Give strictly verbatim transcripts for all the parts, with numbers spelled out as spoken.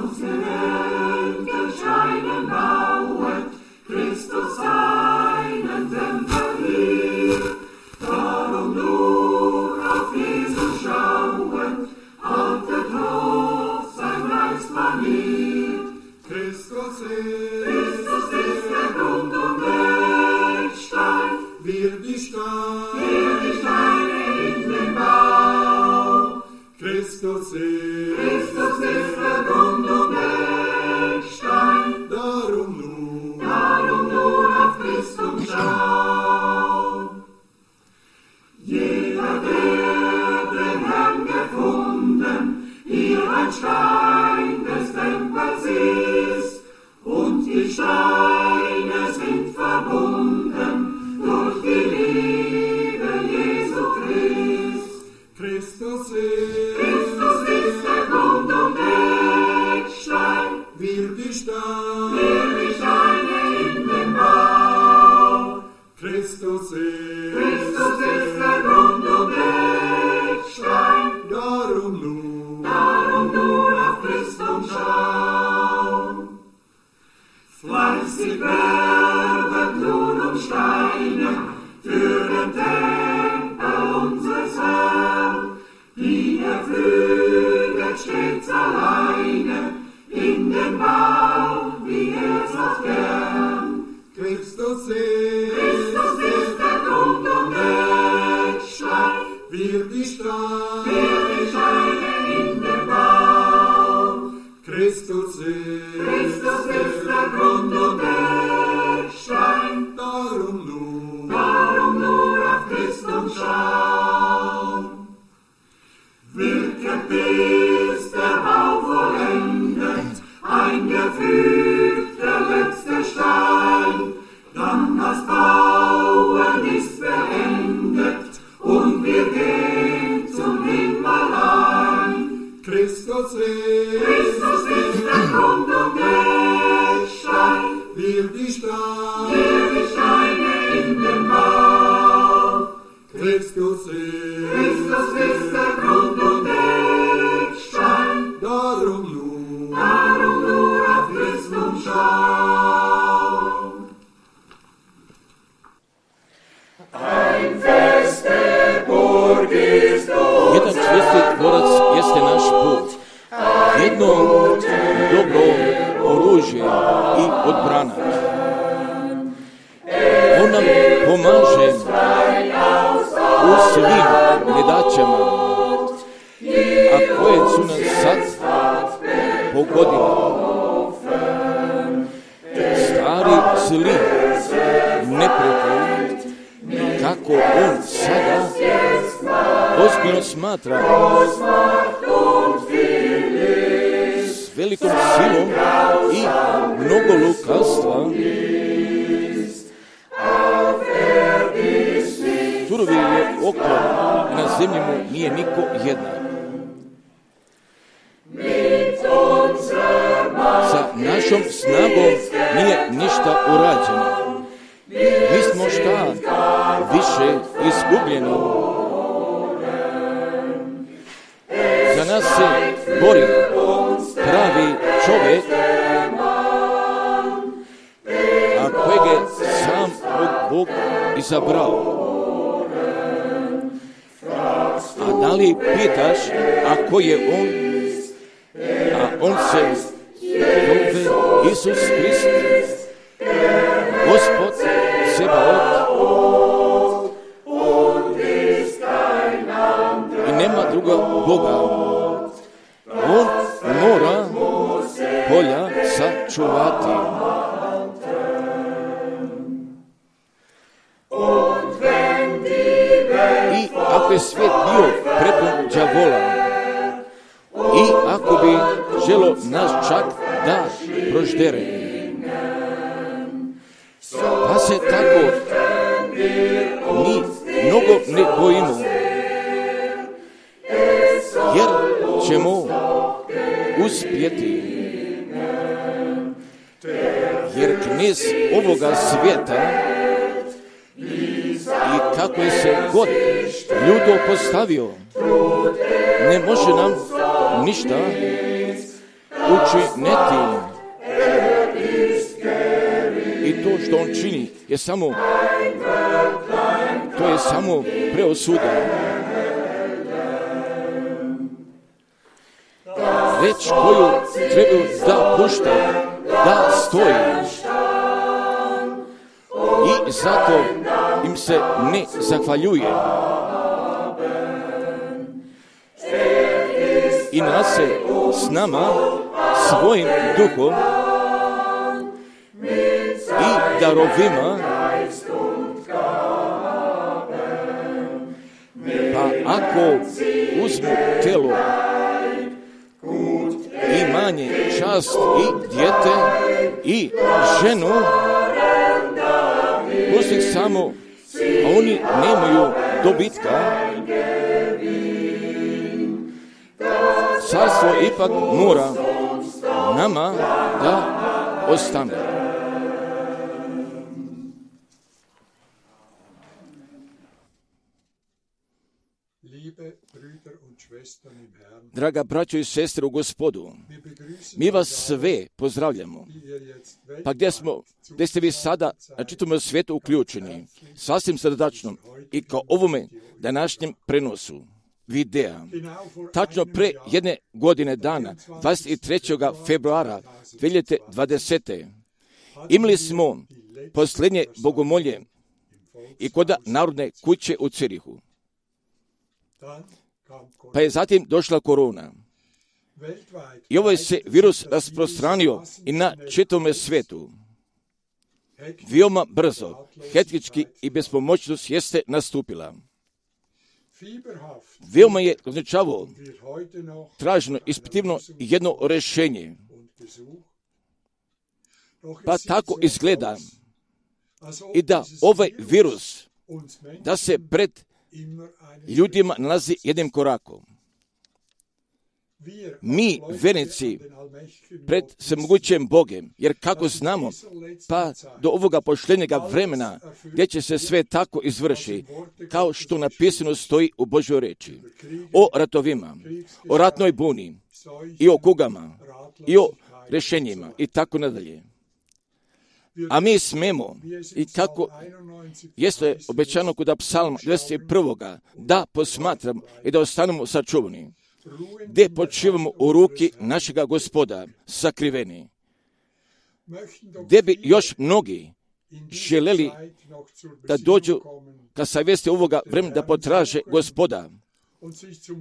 aus der Welt gescheinen bauet, Christus seinen Tempel hier. Darum nur auf Jesus schauend, haltet hoch sein Reichsbanier. Christus ist, Christus ist der Grund und Eckstein, wir die Steine, wir die Steine in den Bau. Christus ist, Christus ist der Grund und Eckstein, darum nur, darum nur auf Christus schau. Jeder, der den Herrn gefunden, hier ein Stein des Tempels ist, und die Steine sind verbunden durch die Liebe Jesu Christ. Christus ist, Christus ist der Grund und Eckstein, wir die Steine, wir die Steine in den Bau. Christus ist, Christus ist der Grund und Eckstein, darum nur, darum nur auf Christus schau. Fleißig werdet nun um Steine für den Tempel unseres Herrn, die er füget stets alleine in den Bau, wie er so gern. Christus ist, Christus ist der Grund und Eckstein, wir die Steine, wir die Steine in den Bau. Christus ist, Christus ist der Grund und Eckstein, darum nur, darum nur auf Christus schau. Wirket bis der Bau vollendet, eingefügt der letzte Stein, dann das Bauen ist beendet und wir gehen zum Himmel ein. Christus ist, Christus ist der Grund und Eckstein, wir die Steine, wir die Steine in den Bau. Christus ist, Christus ist der Grund und Eckstein, darum nur, darum nur auf Christus schau. Ein feste Burg ist uns. Jedan čvrsti dvorac jeste naš put. Jedno dobro oružje i odbrana. On nam pomaže u svim nedaćama, a koje su nas sad pogodile. Stari zli neprijatelj, kako on sada ozbiljno smatra, s velikom silom i mnogo lukavstva, surovi je oko, na zemlji mu nije niko jednak. Sa našom snagom nije ništa urađeno. Mi smo šta više izgubljeni. Za nas se bori pravi čovjek, a kojeg je sam Bog izabrao. A da li pitaš, a ko je on? A on se zove Isus Krist, Gospod Sebaot, i nema druga Boga. On mora polja sačuvati. I ako je svijet bio prepun đavola, i ako bi želo nas čak da proždere, pa se tako mi mnogo ne bojimo, jer ćemo uspjeti. Jer knez ovoga svijeta, i kako je se god ljudo postavio, ne može nam ništa, učiniti. I to što on čini je samo, to je samo preosuda. Reč koju trebaju da pušta, da stoji. I zato im se ne zahvaljuje. I nas se s nama, svojim duhom i darovima, pa ako uzmu telo, imanje, čast i dijete i ženu, pusti samo, a oni nemaju dobitka, carstvo ipak mora nama da ostane. Draga braćo i sestre u Gospodu, mi vas sve pozdravljamo. Pa gdje smo, gdje ste vi sada na čitavom svijetu uključeni, sasvim srdačno i kao ovome današnjem prenosu videa. Tačno pre jedne godine dana, dvadeset trećeg februara dvije hiljade dvadesete. imali smo posljednje bogomolje i kod Narodne kuće u Cirihu. Pa je zatim došla korona. I ovaj se virus rasprostranio i na čitavom svijetu. Veoma brzo, hektički i bespomoćnost jeste nastupila. Veoma je označavao traženo, ispitivno jedno rješenje. Pa tako izgleda i da ovaj virus, da se pred ljudima nalazi jednim korakom. Mi, vernici, pred svemogućim Bogem, jer kako znamo, pa do ovoga pošljenjega vremena, gdje će se sve tako izvrši, kao što napisano stoji u Božjoj reči, o ratovima, o ratnoj buni, i o kugama, i o rješenjima, i tako nadalje. A mi smemo, i kako jeste obećano kod Psalma dvadeset prvog da posmatramo i da ostanemo sačuvani, gdje počivamo u ruki našega Gospoda sakriveni, gdje bi još mnogi želeli da dođu ka savjesti ovoga vremena da potraže Gospoda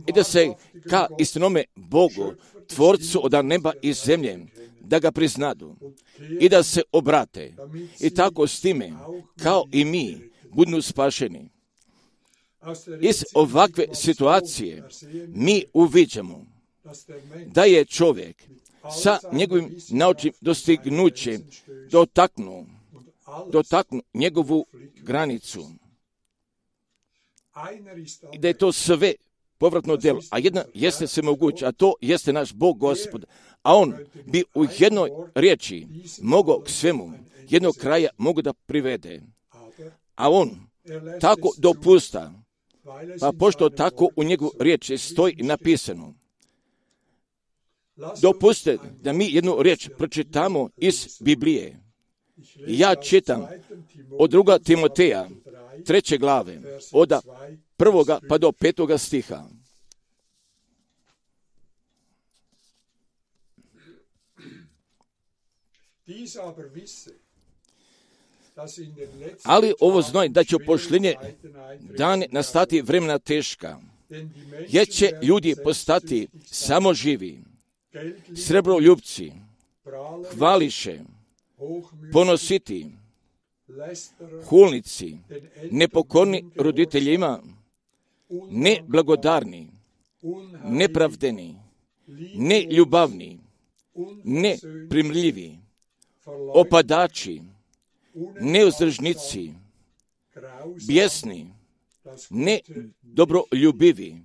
i da se ka istinome Bogu, Tvorcu od neba i zemlje, da ga priznadu i da se obrate i tako s time, kao i mi, budu spašeni. Iz ovakve situacije mi uviđamo da je čovjek sa njegovim naučnim dostignućem dotaknuo, dotaknuo njegovu granicu i da je to sve povratno djelo, a jedna jeste sve moguće, a to jeste naš Bog Gospod, a on bi u jednoj riječi mogao k svemu jednog kraja mogu da privede, a on tako dopusta, pa pošto tako u njegovu riječi stoji napisano. Dopustite da mi jednu riječ pročitamo iz Biblije. Ja čitam od druga Timoteja, treće glave, od prvoga pa do petoga stiha. Ali ovo znoj da će u pošljenje dane nastati vremena teška, jer će ljudi postati samo živi, srebroljupci, hvališe, ponositi, hulnici, nepokorni roditeljima, neblagodarni, nepravdeni, neljubavni, neprimljivi, opadači, neuzdržnici, bijesni, nedobroljubiviji,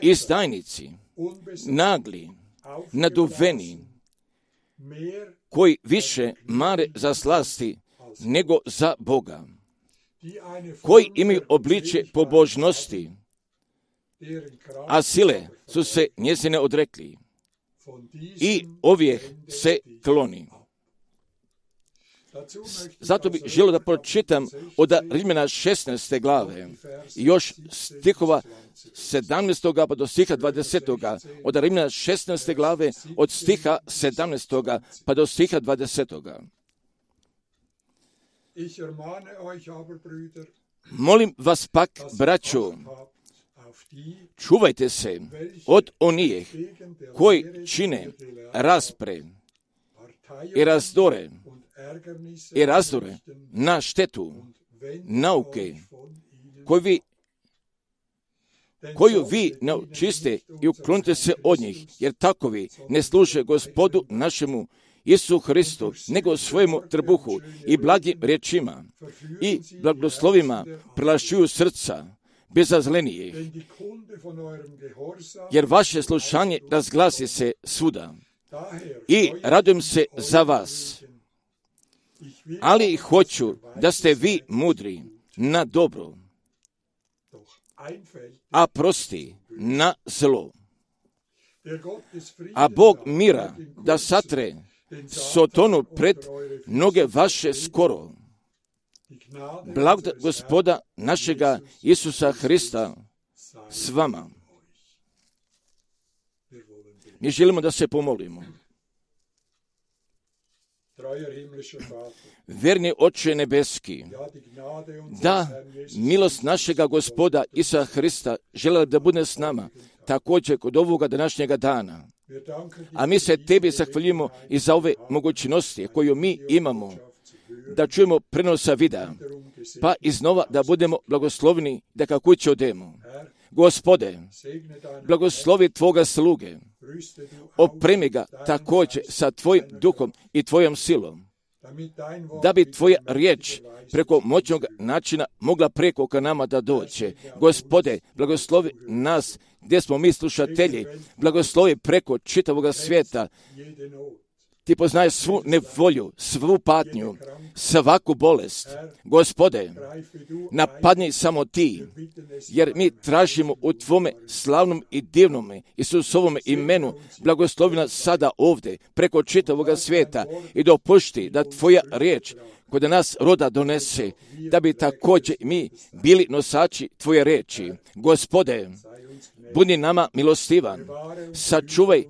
izdajnici, nagli, naduveni, koji više mare za slasti nego za Boga, koji imaju obličje pobožnosti, a sile su se njezine odrekli. i ovih se kloni. Zato bih želio da pročitam od Rimljana šesnaeste glave, još stihova sedamnaestog pa do stiha dvadesetog. Od Rimljana šesnaeste glave, od stiha sedamnaestog pa do stiha dvadesetog. Molim vas pak, braćo, čuvajte se od onih koji čine raspre i razdore i razdore na štetu nauke koju vi, koju vi ne očiste i uklonite se od njih, jer takovi ne služe Gospodu našemu Isu Hristu, nego svojemu trbuhu i blagim riječima i blagoslovima prelašuju srca bezazlenijih, jer vaše slušanje razglasi se svuda i radujem se za vas. Ali hoću da ste vi mudri na dobro, a prosti na zlo. A Bog mira da satre Sotonu pred noge vaše skoro. Blagodat Gospoda našega Isusa Hrista s vama. Mi želimo da se pomolimo. Verni Oče nebeski, da milost našega Gospoda Isusa Hrista želela da bude s nama, također kod ovoga današnjega dana. A mi se tebi zahvaljujemo i za ove mogućnosti koju mi imamo, da čujemo prenosa videa, pa iznova da budemo blagoslovni da kako kuće odemo. Gospode, blagoslovi Tvoga sluge, opremi ga također sa Tvojim duhom i Tvojom silom, da bi Tvoja riječ preko moćnog načina mogla preko ka nama da dođe. Gospode, blagoslovi nas gdje smo mi slušatelji, blagoslovi preko čitavoga svijeta. Ti poznaješ svu nevolju, svu patnju, svaku bolest. Gospode, napadni samo Ti, jer mi tražimo u Tvome slavnom i divnome Isusovome imenu, blagoslovi nas sada ovdje, preko čitavoga svijeta i dopušti da Tvoja riječ kod nas roda donese, da bi također mi bili nosači Tvoje riječi. Gospode, budi nama milostivan, sačuvaj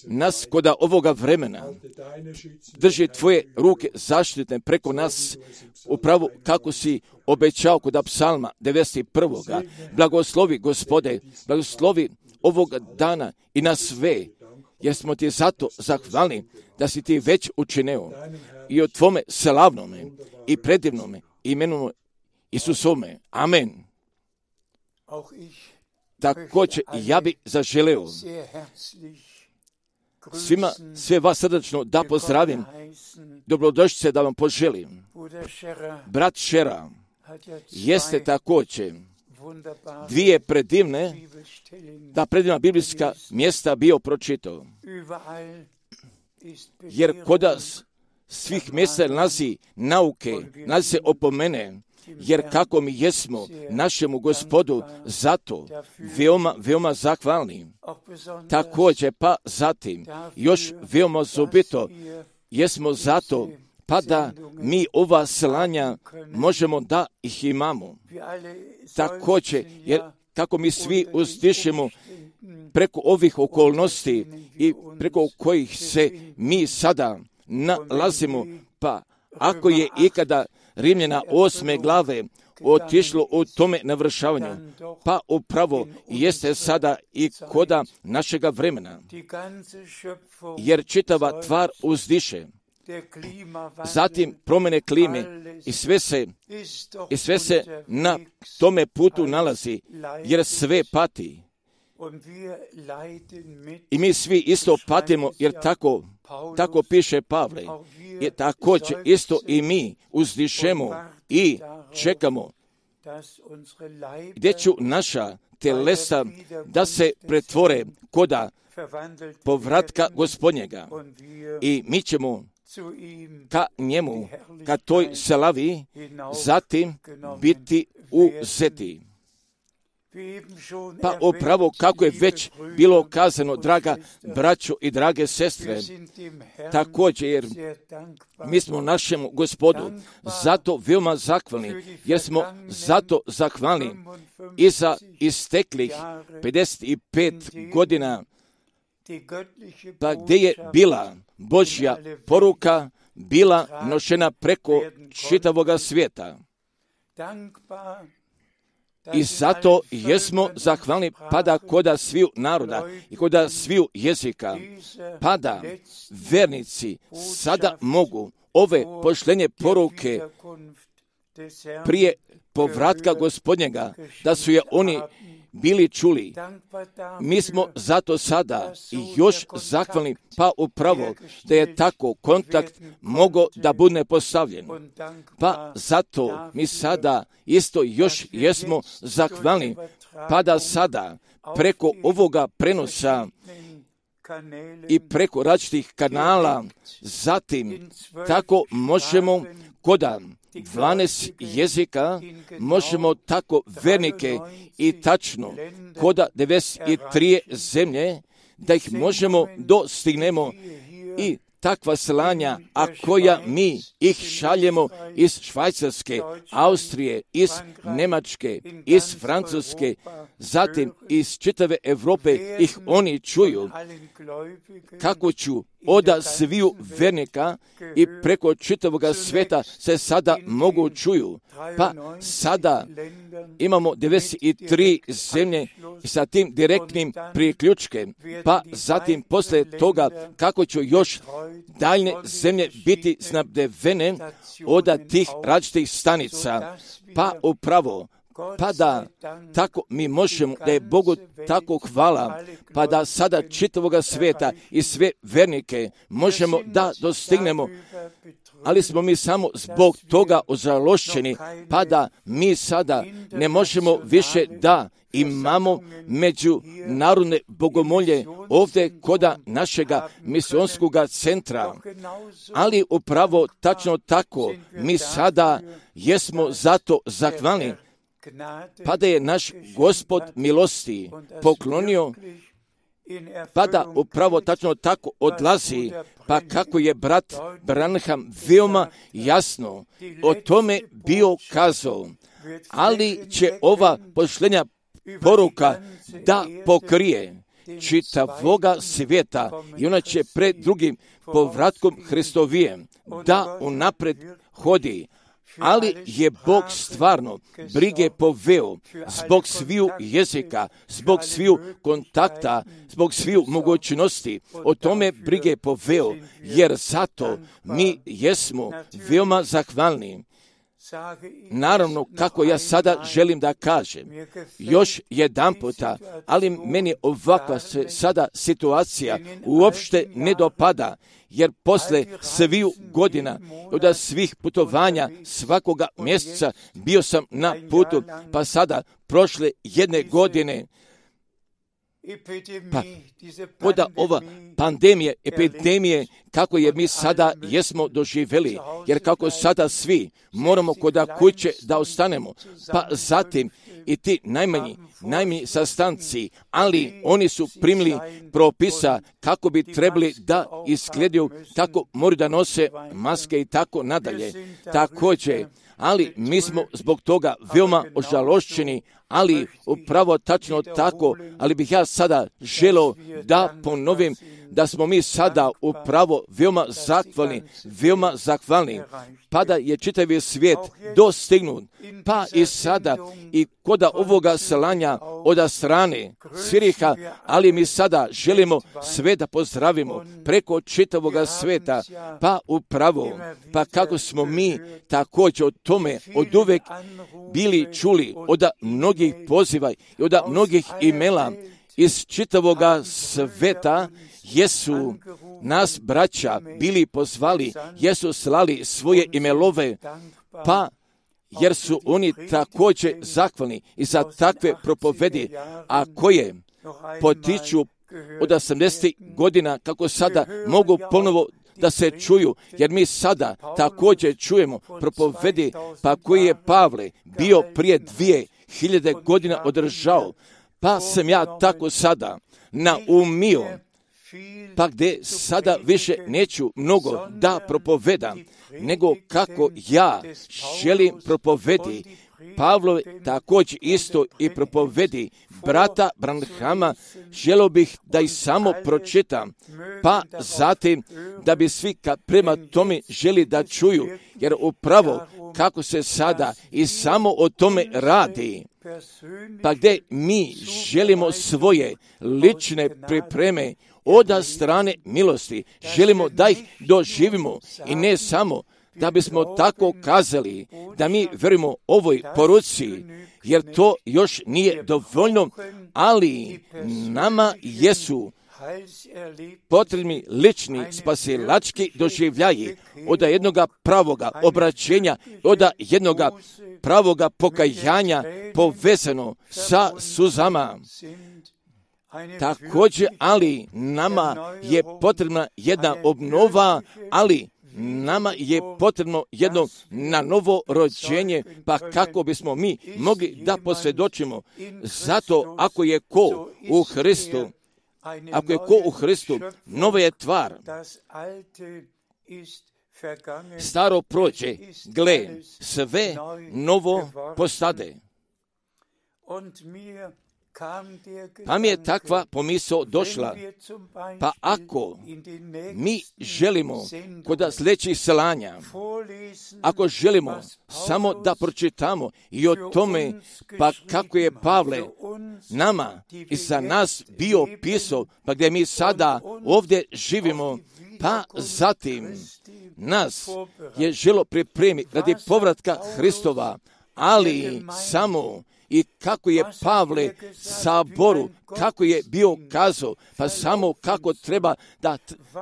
nas koda ovoga vremena, drži Tvoje ruke zaštitne preko nas, upravo kako si obećao kod psalma devedeset prvog. Blagoslovi, Gospode, blagoslovi ovoga dana i na sve, jer smo Ti zato zahvalni da si Ti već učinio i o Tvome slavnome i predivnome imenu Isusome. Amen. Također ja bih zaželeo svima, sve vas srdačno da pozdravim, dobrodošlice da vam poželim. Brat Šera jeste također dvije predivne, ta predivna biblijska mjesta bio pročitao. Jer kod svih mjesta nalazi nauke, nalazi se opomene, jer kako mi jesmo našemu Gospodu zato veoma, veoma zahvalni. Također pa zatim još veoma osobito jesmo zato pa da mi ova slanja možemo da ih imamo. Također, jer kako mi svi uzdišemo preko ovih okolnosti i preko kojih se mi sada nalazimo, pa ako je ikada Rimljana osme glave otišlo u tome navršavanju, pa upravo jeste sada i koda našega vremena, jer čitava tvar uzdiše. Zatim promjene klime i sve se, i sve se na tome putu nalazi, jer sve pati. I mi svi isto patimo, jer tako, tako piše Pavle. I također isto i mi uzdišemo i čekamo gdje ću naša telesa da se pretvore koda povratka Gospodnjega. I mi ćemo ka njemu, ka toj slavi, zatim biti uzeti. Pa upravo kako je već bilo kazano, draga braćo i drage sestre, također jer mi smo našemu Gospodu zato veoma zahvalni, jer smo zato zahvalni i za isteklih pedeset pet godina, pa gdje je bila Božja poruka, bila nošena preko čitavoga svijeta. I zato jesmo zahvalni pada koda sviju naroda i koda sviju jezika, pada vernici sada mogu ove pošlenje poruke prije povratka Gospodnjega, da su je oni bili čuli. Mi smo zato sada i još zahvalni, pa upravo da je tako kontakt mogao da bude postavljen. Pa zato mi sada isto još jesmo zahvalni, pa da sada preko ovoga prenosa i preko različitih kanala, zatim tako možemo koda dvanaest jezika, možemo tako vernike i tačno koda devedeset tri zemlje, da ih možemo dostignemo i takva slanja, a koja mi ih šaljemo iz Švajcarske, Austrije, iz Njemačke, iz Francuske, zatim iz čitave Europe ih oni čuju, kako ću oda sviju vernika i preko čitavoga sveta se sada mogu čuju. Pa sada imamo devedeset tri zemlje sa tim direktnim priključkem, pa zatim posle toga kako će još daljne zemlje biti snabdevene od tih različitih stanica. Pa upravo, pa da tako mi možemo, da je Bogu tako hvala, pa da sada čitavoga sveta i sve vernike možemo da dostignemo, ali smo mi samo zbog toga ožalošćeni, pa da mi sada ne možemo više da imamo međunarodne bogomolje ovdje koda našega misionskoga centra. Ali upravo tačno tako mi sada jesmo zato zahvalni, pa da je naš Gospod milosti poklonio, pa da upravo tačno tako odlazi, pa kako je brat Branham veoma jasno o tome bio kazao, ali će ova pošlenja poruka da pokrije čitavoga svijeta i ona će pred drugim povratkom Hristovijem da unapred hodi. Ali je Bog stvarno brige poveo zbog sviju jezika, zbog sviju kontakta, zbog sviju mogućnosti. O tome brige poveo, jer zato mi jesmo veoma zahvalni. Naravno, kako ja sada želim da kažem, još jedan puta, ali meni ovakva se sada situacija uopšte ne dopada, jer posle sviju godina, od svih putovanja svakoga mjeseca bio sam na putu, pa sada prošle jedne godine, pa koda ova pandemije, epidemije, kako je mi sada jesmo doživjeli, jer kako sada svi moramo koda kuće da ostanemo, pa zatim i ti najmanji, najmanji sastanci, ali oni su primili propisa kako bi trebali da izgledaju, kako moraju da nose maske i tako nadalje. Također, ali mi smo zbog toga veoma ožalošćeni, ali upravo tačno tako, ali bih ja sada želeo da ponovim da smo mi sada upravo veoma zahvalni, veoma zahvalni, pa da je čitavi svijet dostignut, pa i sada i koda ovoga slanja od strane Sviriha, ali mi sada želimo sve da pozdravimo preko čitavoga sveta, pa upravo, pa kako smo mi također o tome od uvek bili čuli od mnogih poziva i od mnogih imela iz čitavoga sveta, jesu nas braća bili pozvali, jesu slali svoje imelove, pa jer su oni također zahvalni i za takve propovedi, a koje potiču od osamdesetih godina, kako sada mogu ponovo da se čuju, jer mi sada također čujemo propovedi, pa koji je Pavle bio prije dvije hiljade godina održao, pa sam ja tako sada naumio, pa gdje sada više neću mnogo da propovedam, nego kako ja želim propovedi, Pavlove također isto i propovedi brata Branhama, želio bih da ih samo pročitam, pa zatim da bi svi prema tome želi da čuju, jer upravo kako se sada i samo o tome radi, pa gdje mi želimo svoje lične pripreme od strane milosti, želimo da ih doživimo i ne samo da bismo tako kazali da mi verujemo ovoj poruci, jer to još nije dovoljno, ali nama jesu potrebni lični spasilački doživljaji od jednoga pravoga obraćenja, od jednoga pravoga pokajanja povezano sa suzama. Također, ali nama je potrebna jedna obnova, ali nama je potrebno jedno na novo rođenje, pa kako bismo mi mogli da posvjedočimo. Zato ako je ko u Hristu, ako je ko u Hristu, nova je tvar. Staro prođe, gle, sve novo postade. Pa mi je takva pomisao došla, pa ako mi želimo kod sljedećih selanja, ako želimo samo da pročitamo i o tome, pa kako je Pavle nama i za nas bio pisao, pa gdje mi sada ovdje živimo, pa zatim nas je želo pripremiti radi povratka Hristova, ali samo i kako je Pavle saboru, kako je bio kazao, pa samo kako treba da,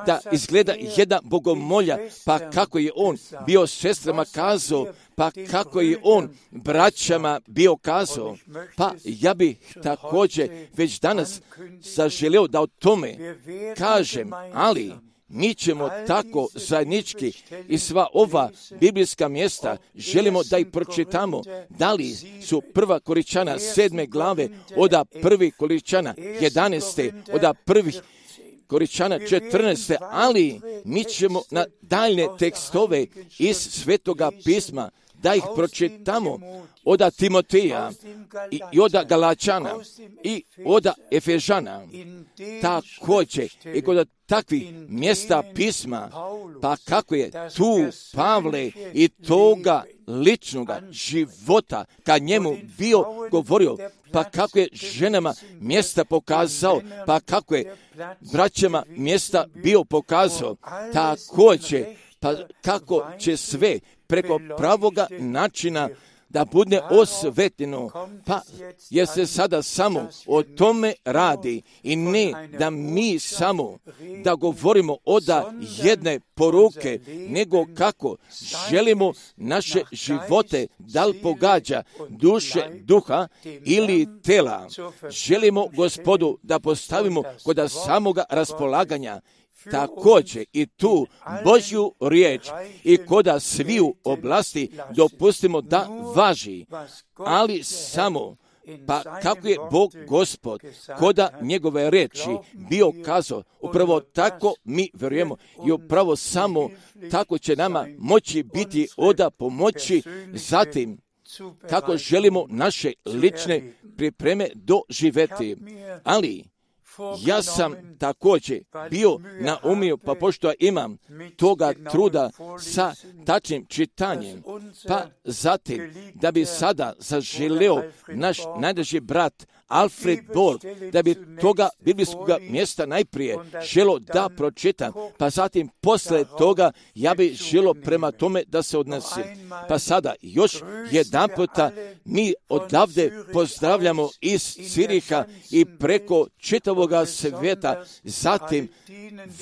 da izgleda jedna bogomolja, pa kako je on bio sestrama kazao, pa kako je on braćama bio kazao. Pa ja bih također već danas zaželio da o tome kažem, ali mi ćemo tako zajednički i sva ova biblijska mjesta želimo da ih pročitamo. Da li su prva Korinčana sedme glave, oda prvi Korinčana jedanaeste, oda prvih Korinčana četrnaeste, ali mi ćemo na daljne tekstove iz Svetoga pisma da ih pročitamo oda Timoteja i, i oda Galačana i oda Efežana. Također i kod takvih mjesta pisma, pa kako je tu Pavle i toga ličnoga života kad njemu bio govorio, pa kako je ženama mjesta pokazao, pa kako je braćama mjesta bio pokazao, također pa kako će sve preko pravoga načina da bude osvetljeno, pa jer se sada samo o tome radi i ne da mi samo da govorimo od jedne poruke, nego kako želimo naše živote, da li pogađa duše, duha ili tela. Želimo Gospodu da postavimo kod samoga raspolaganja, također i tu Božju riječ i koda sviju oblasti dopustimo da važi, ali samo pa kako je Bog Gospod koda njegove riječi bio kazao, upravo tako mi vjerujemo i upravo samo tako će nama moći biti oda pomoći, zatim kako želimo naše lične pripreme doživjeti. Ali ja sam također bio naumio, pa pošto imam toga truda sa tačnim čitanjem, pa zatim da bi sada zaželeo naš najdraži brat Alfred Borg, da bi toga biblijskog mjesta najprije želo da pročitam, pa zatim posle toga ja bi želo prema tome da se odnosi. Pa sada još jedan puta mi odavde pozdravljamo iz Ciriha i preko čitavoga svijeta, zatim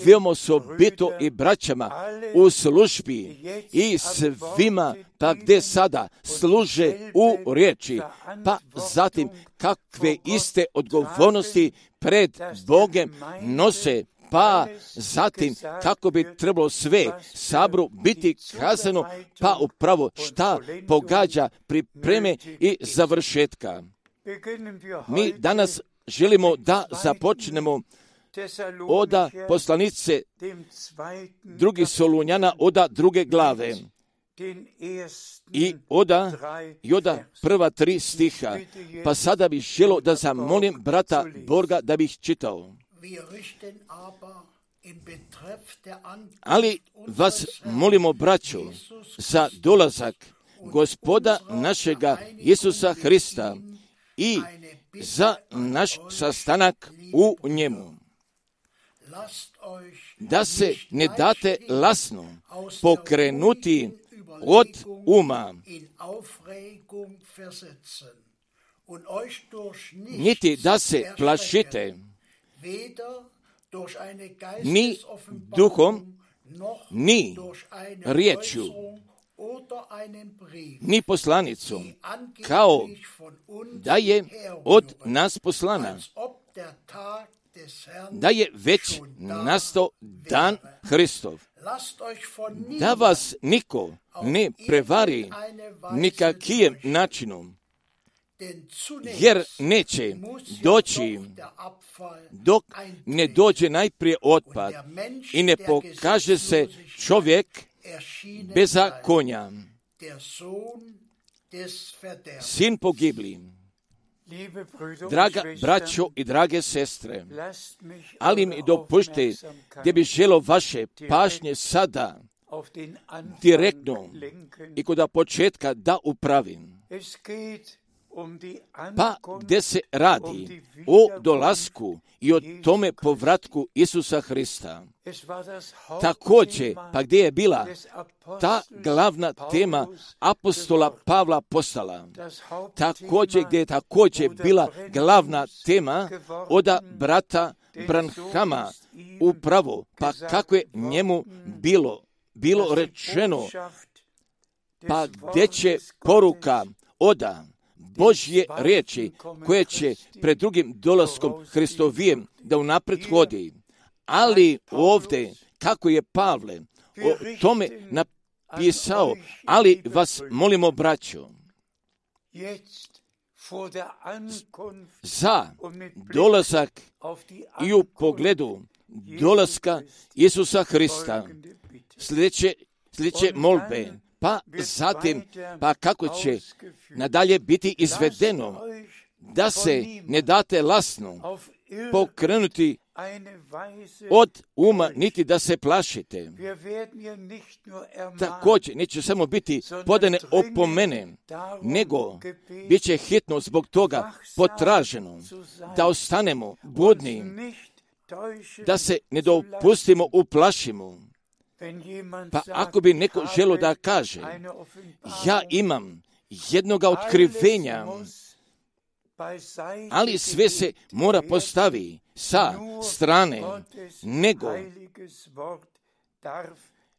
veoma osobito i braćama u službi i svima pa gdje sada služe u riječi, pa zatim kakve iste odgovornosti pred Bogem nose, pa zatim kako bi trebalo sve sabru biti kazano, pa upravo šta pogađa pripreme i završetka. Mi danas želimo da započnemo oda poslanice drugi Solunjana, oda druge glave i oda, i oda prva tri stiha. Pa sada bih želio da zamolim brata Borga da bih čitao. Ali vas molimo, braćo, za dolazak Gospoda našega Isusa Hrista i za naš sastanak u njemu, da se ne date lasno pokrenuti od uma, niti da se plašite ni duhom, ni riječju, ni poslanicom, kao da je od nas poslana, da je već nastao dan Hristov, da vas niko ne prevari nikakvim načinom, jer neće doći dok ne dođe najprije otpad i ne pokaže se čovjek bezakonja, sin pogibli. Draga braćo i drage sestre, ali mi dopušte gdje bi želio vaše pažnje sada direktno i kod početka da upravim. Pa gdje se radi o dolasku i o tome povratku Isusa Hrista. Također, pa gdje je bila ta glavna tema apostola Pavla apostala. Također, gdje je također bila glavna tema oda brata Branhama upravo, pa kako je njemu bilo, bilo rečeno, pa gdje će poruka oda Božje riječi koje će pred drugim dolaskom Hristovijem da unaprijed hodi. Ali ovdje, kako je Pavle o tome napisao, ali vas molimo, braćo, za dolazak i u pogledu dolaska Isusa Hrista, sljedeće, sljedeće molbe, pa zatim, pa kako će nadalje biti izvedeno, da se ne date lasno pokrenuti od uma, niti da se plašite. Također, neće samo biti podane opomene, nego bit će hitno zbog toga potraženo da ostanemo budni, da se ne dopustimo uplašimo. Pa ako bi neko želio da kaže, ja imam jednoga otkrivenja, ali sve se mora postavi sa strane, nego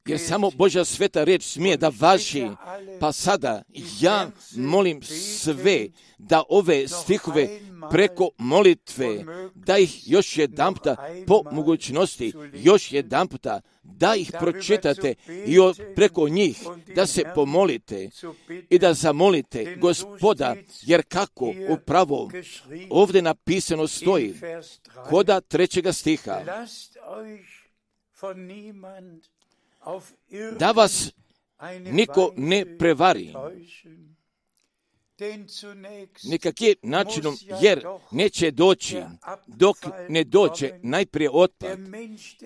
jer samo Božja sveta riječ smije da važi. Pa sada ja molim sve da ove stihove preko molitve, da ih još jedanputa po mogućnosti, još jedanputa da ih pročitate i preko njih da se pomolite i da zamolite Gospoda, jer kako upravo ovdje napisano stoji koda trećega stiha, da vas niko ne prevari nikakvim načinom, jer neće doći dok ne dođe najprije otpad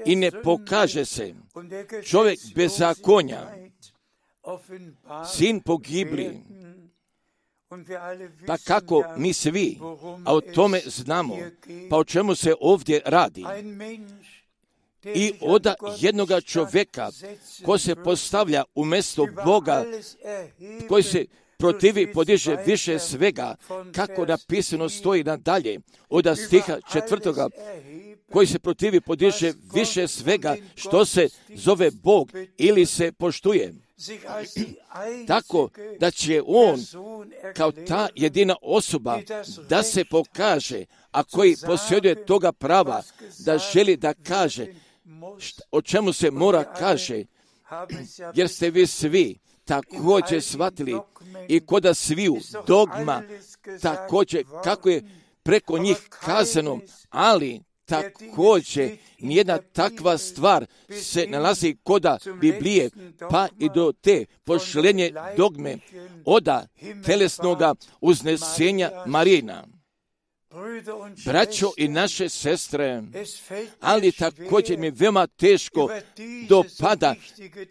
i ne pokaže se čovjek bezakonja, sin pogibli. Pa kako mi svi, a o tome znamo, pa o čemu se ovdje radi? I od jednoga čovjeka ko se postavlja umjesto Boga, koji se protivi, podiže više svega, kako napisano stoji nadalje, od stiha četvrtoga, koji se protivi, podiže više svega što se zove Bog ili se poštuje. tako da će on kao ta jedina osoba da se pokaže, a koji posjeduje toga prava da želi da kaže šta, o čemu se mora kaže, jer ste vi svi također shvatili i koda sviju dogma također kako je preko njih kazano, ali također nijedna takva stvar se nalazi koda Biblije, pa i do te pošlenje dogme oda telesnoga uznesenja Marina. Braćo i naše sestre, ali također mi veoma teško dopada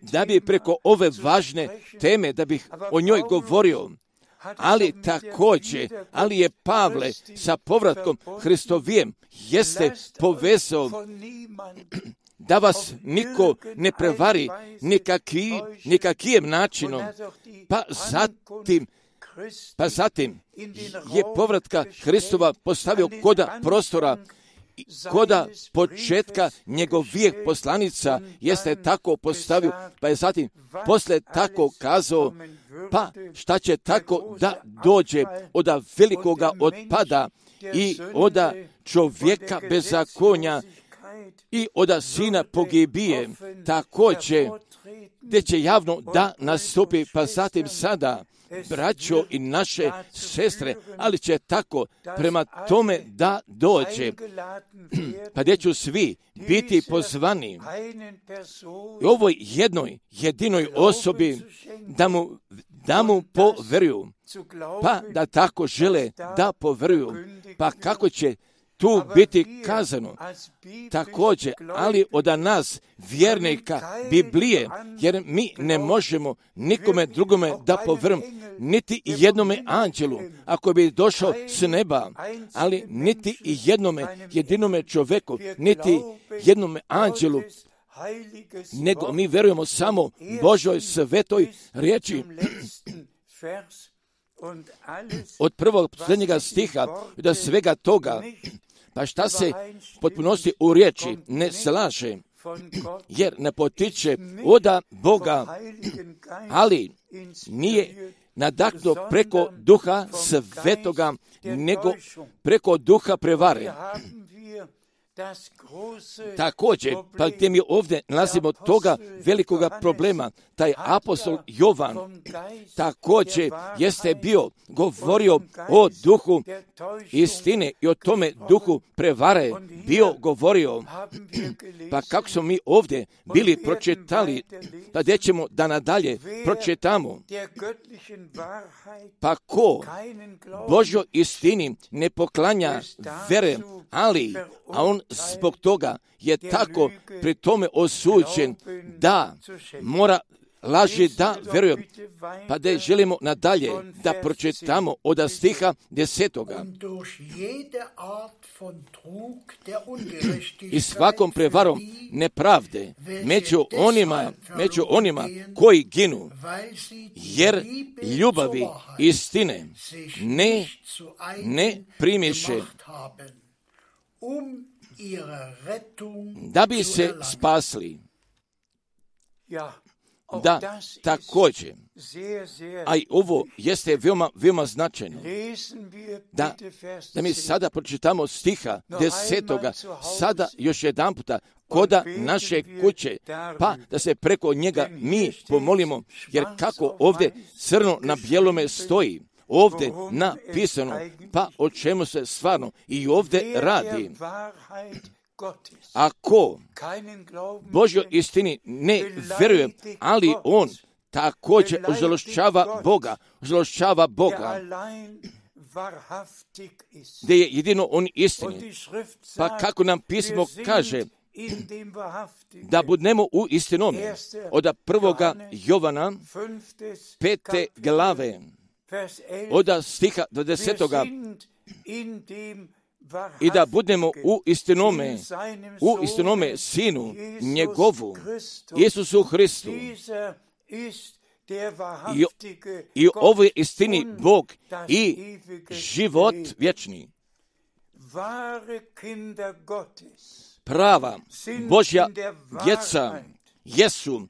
da bi preko ove važne teme, da bih o njoj govorio, ali također, ali je Pavle sa povratkom Hristovijem jeste povezao da vas niko ne prevari nikaki, nikakijem načinom, pa zatim Pa zatim je povratka Hristova postavio koda prostora, koda početka njegovijeg poslanica jeste tako postavio, pa je zatim posle tako kazao, pa šta će tako da dođe od velikoga otpada i od čovjeka bezakonja i od sina pogibije, također gdje će javno da nastupi, pa zatim sada, braćo i naše sestre, ali će tako prema tome da dođe, pa gdje ću svi biti pozvani i ovoj jednoj, jedinoj osobi da mu, da mu poveruju, pa da tako žele da poveruju, pa kako će tu biti kazano također, ali od nas vjernika Biblije, jer mi ne možemo nikome drugome da povrm, niti jednome anđelu, ako bi došao s neba, ali niti jednome jedinome čoveku, niti jednome anđelu, nego mi verujemo samo Božoj svetoj riječi. Od prvog posljednjega stiha do svega toga, pa šta se potpunosti u riječi ne slaže, jer ne potiče od Boga, ali nije nadahnuto preko duha svetoga, nego preko duha prevare. Također, pa gdje mi ovdje nalazimo toga velikoga problema, taj apostol Jovan također jeste bio govorio o duhu istine i o tome duhu prevare bio govorio. Pa kako smo mi ovdje bili pročitali, pa gdje ćemo da nadalje pročitamo. Pa ko Božjoj istini ne poklanja vere, ali a on zbog toga je tako pri tome osuđen da mora laži da vjerujem. Pa da želimo nadalje da pročitamo od stiha desetoga. I svakom prevarom nepravde među onima, među onima koji ginu, jer ljubavi istine ne, ne primiše, da bi se spasli. Da, također, a i ovo jeste veoma, veoma značajno, da, da mi sada pročitamo stiha desetoga, sada još jedan puta, koda naše kuće, pa da se preko njega mi pomolimo, jer kako ovdje crno na bijelome stoji, ovdje napisano, pa o čemu se stvarno i ovdje radi. Ako Božjoj istini ne vjeruje, ali on također ožalošćava Boga, ožalošćava Boga, gdje je jedino on istini. Pa kako nam pismo kaže, da budemo u istinome, od prvoga Jovana, pete glave, od stiha do desetoga, i da budemo u istinome, u istinome Sinu njegovu, Isusu Hristu. I, i ovo je istini Bog i život vječni. Prava Božja djeca jesu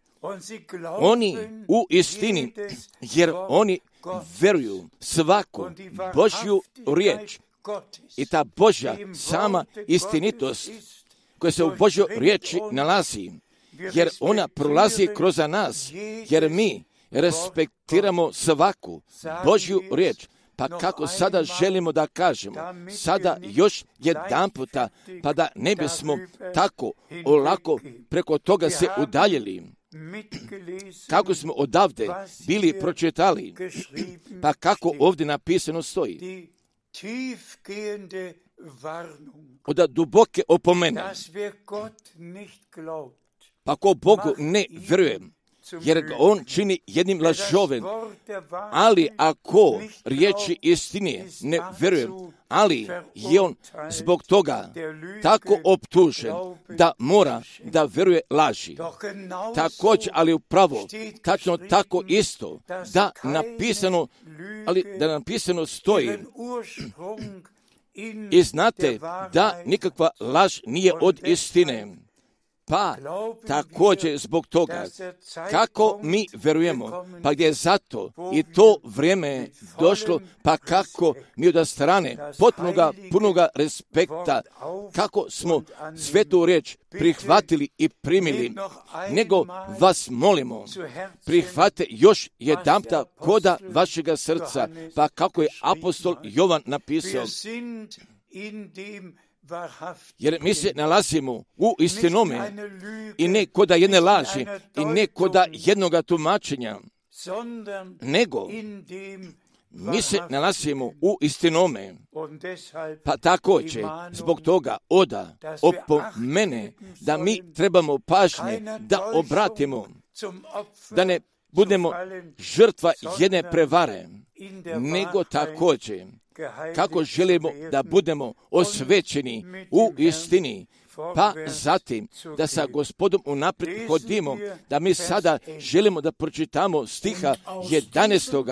Oni u istini, jer oni veruju svaku Božju riječ i ta Božja sama istinitost koja se u Božjoj riječi nalazi, jer ona prolazi kroz nas, jer mi respektiramo svaku Božju riječ. Pa kako sada želimo da kažemo, sada još jedan puta, pa da ne bismo tako olako preko toga se udaljili. Kako smo odavde bili pročitali, pa kako ovdje napisano stoji. Od duboke opomene. Pa ko Bogu ne vjeruje, jer ga on čini jednim lažovem, ali ako riječi istine ne vjeruje, ali je on zbog toga tako optužen da mora da vjeruje laži. Također, ali upravo, tačno tako isto, da napisano, ali da napisano stoji, i znate da nikakva laž nije od istine. Pa također zbog toga, kako mi vjerujemo, pa gdje je zato i to vrijeme došlo, pa kako mi od strane potpunoga, punoga respekta, kako smo svetu riječ prihvatili i primili, nego vas molimo, prihvate još jedanputa koda vašega srca, pa kako je apostol Jovan napisao, jer mi se nalazimo u istinome i ne koda jedne laži i ne koda jednoga tumačenja, nego mi se nalazimo u istinome. Pa također zbog toga oda opomene da mi trebamo pažnje da obratimo, da ne budemo žrtva jedne prevare, nego također kako želimo da budemo osvećeni u istini, pa zatim da sa Gospodom unaprijed hodimo, da mi sada želimo da pročitamo stiha jedanaestog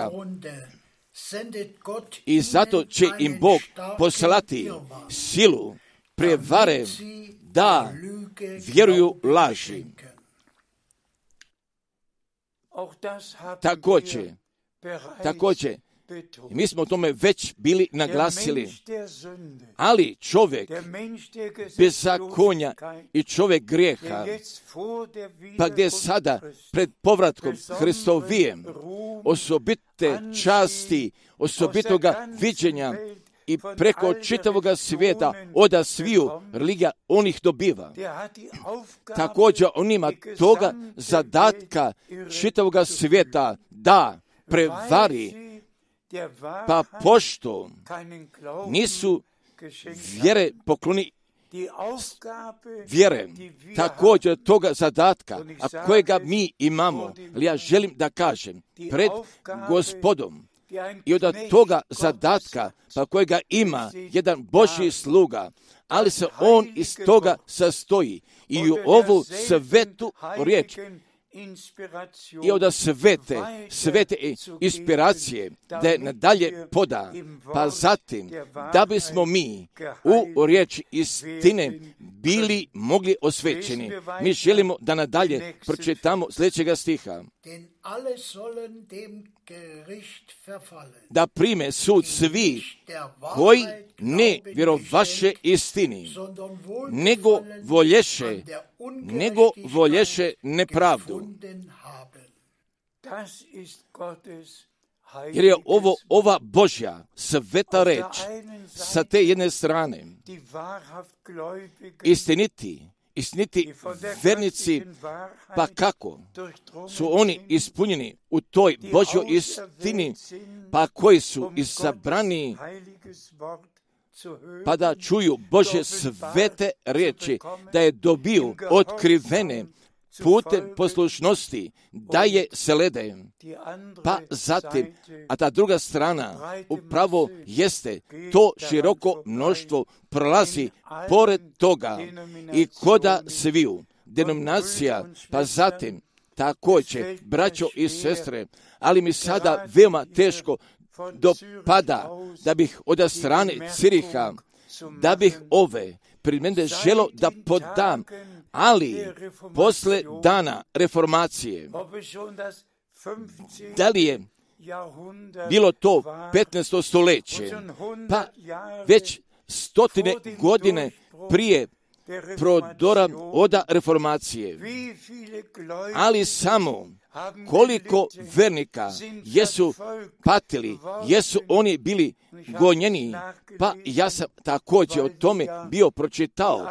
I zato će im Bog poslati silu prevare da vjeruju laži. Također, također, mi smo o tome već bili naglasili, ali čovjek bezakonja i čovjek grijeha, pa gdje sada pred povratkom Hristovijem osobite časti, osobitoga viđenja i preko čitavoga svijeta oda sviju religija on ih dobiva. Također on ima toga zadatka čitavoga svijeta da prevari, pa pošto nisu vjere pokloni vjere, također toga zadatka, a kojega mi imamo, ali ja želim da kažem pred Gospodom i od toga zadatka, pa kojega ima jedan Božji sluga, ali se on iz toga sastoji i u ovu svetu riječ i od svete, svete inspiracije da je nadalje poda, pa zatim da bismo mi u riječi istine bili mogli osvećeni. Mi želimo da nadalje pročitamo sljedećega stiha. Da prime sud svi koji ne vjerovaše istini, nego volješe, nego volješe nepravdu. Jer je ovo ova Božja sveta reč sa te jedne strane. Istiniti, istiniti vernici, pa kako su oni ispunjeni u toj Božjoj istini, pa koji su izabrani pa da čuju Božje svete riječi, da je dobiju otkrivene putem poslušnosti, da je slede. Pa zatim, a ta druga strana upravo jeste to široko mnoštvo prolazi pored toga i koda sviju denominacija, pa zatim također, braćo i sestre, ali mi sada veoma teško dopada da bih od strane Ciriha, da bih ove primjene želo da podam, Ali posle dana reformacije, da li je bilo to petnaesto stoljeće, pa već stotine godine prije prodora oda reformacije, ali samo koliko vernika jesu patili, jesu oni bili gonjeni, pa ja sam također o tome bio pročitao,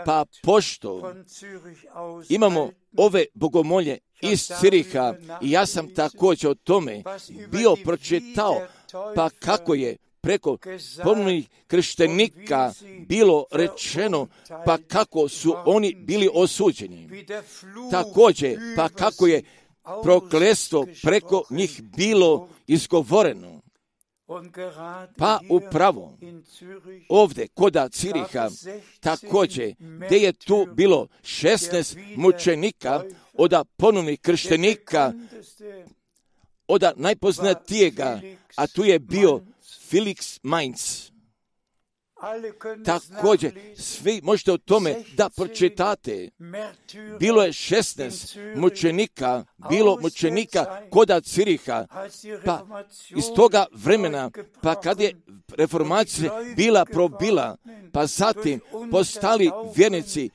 pa pošto imamo ove bogomolje iz Ciriha i ja sam također o tome bio pročitao, pa kako je preko ponovnih krštenika bilo rečeno, pa kako su oni bili osuđeni. Također, pa kako je prokletstvo preko njih bilo izgovoreno. Pa upravo ovdje koda Ciriha također gdje je tu bilo šesnaest mučenika od ponovnih krštenika, od najpoznatijega, a tu je bio Felix Mainz. Također, svi možete o tome da pročitate. Bilo je šesnaest mučenika, bilo mučenika koda Ciriha, pa iz toga vremena, pa kad je reformacija bila probila, pa zatim postali vjernici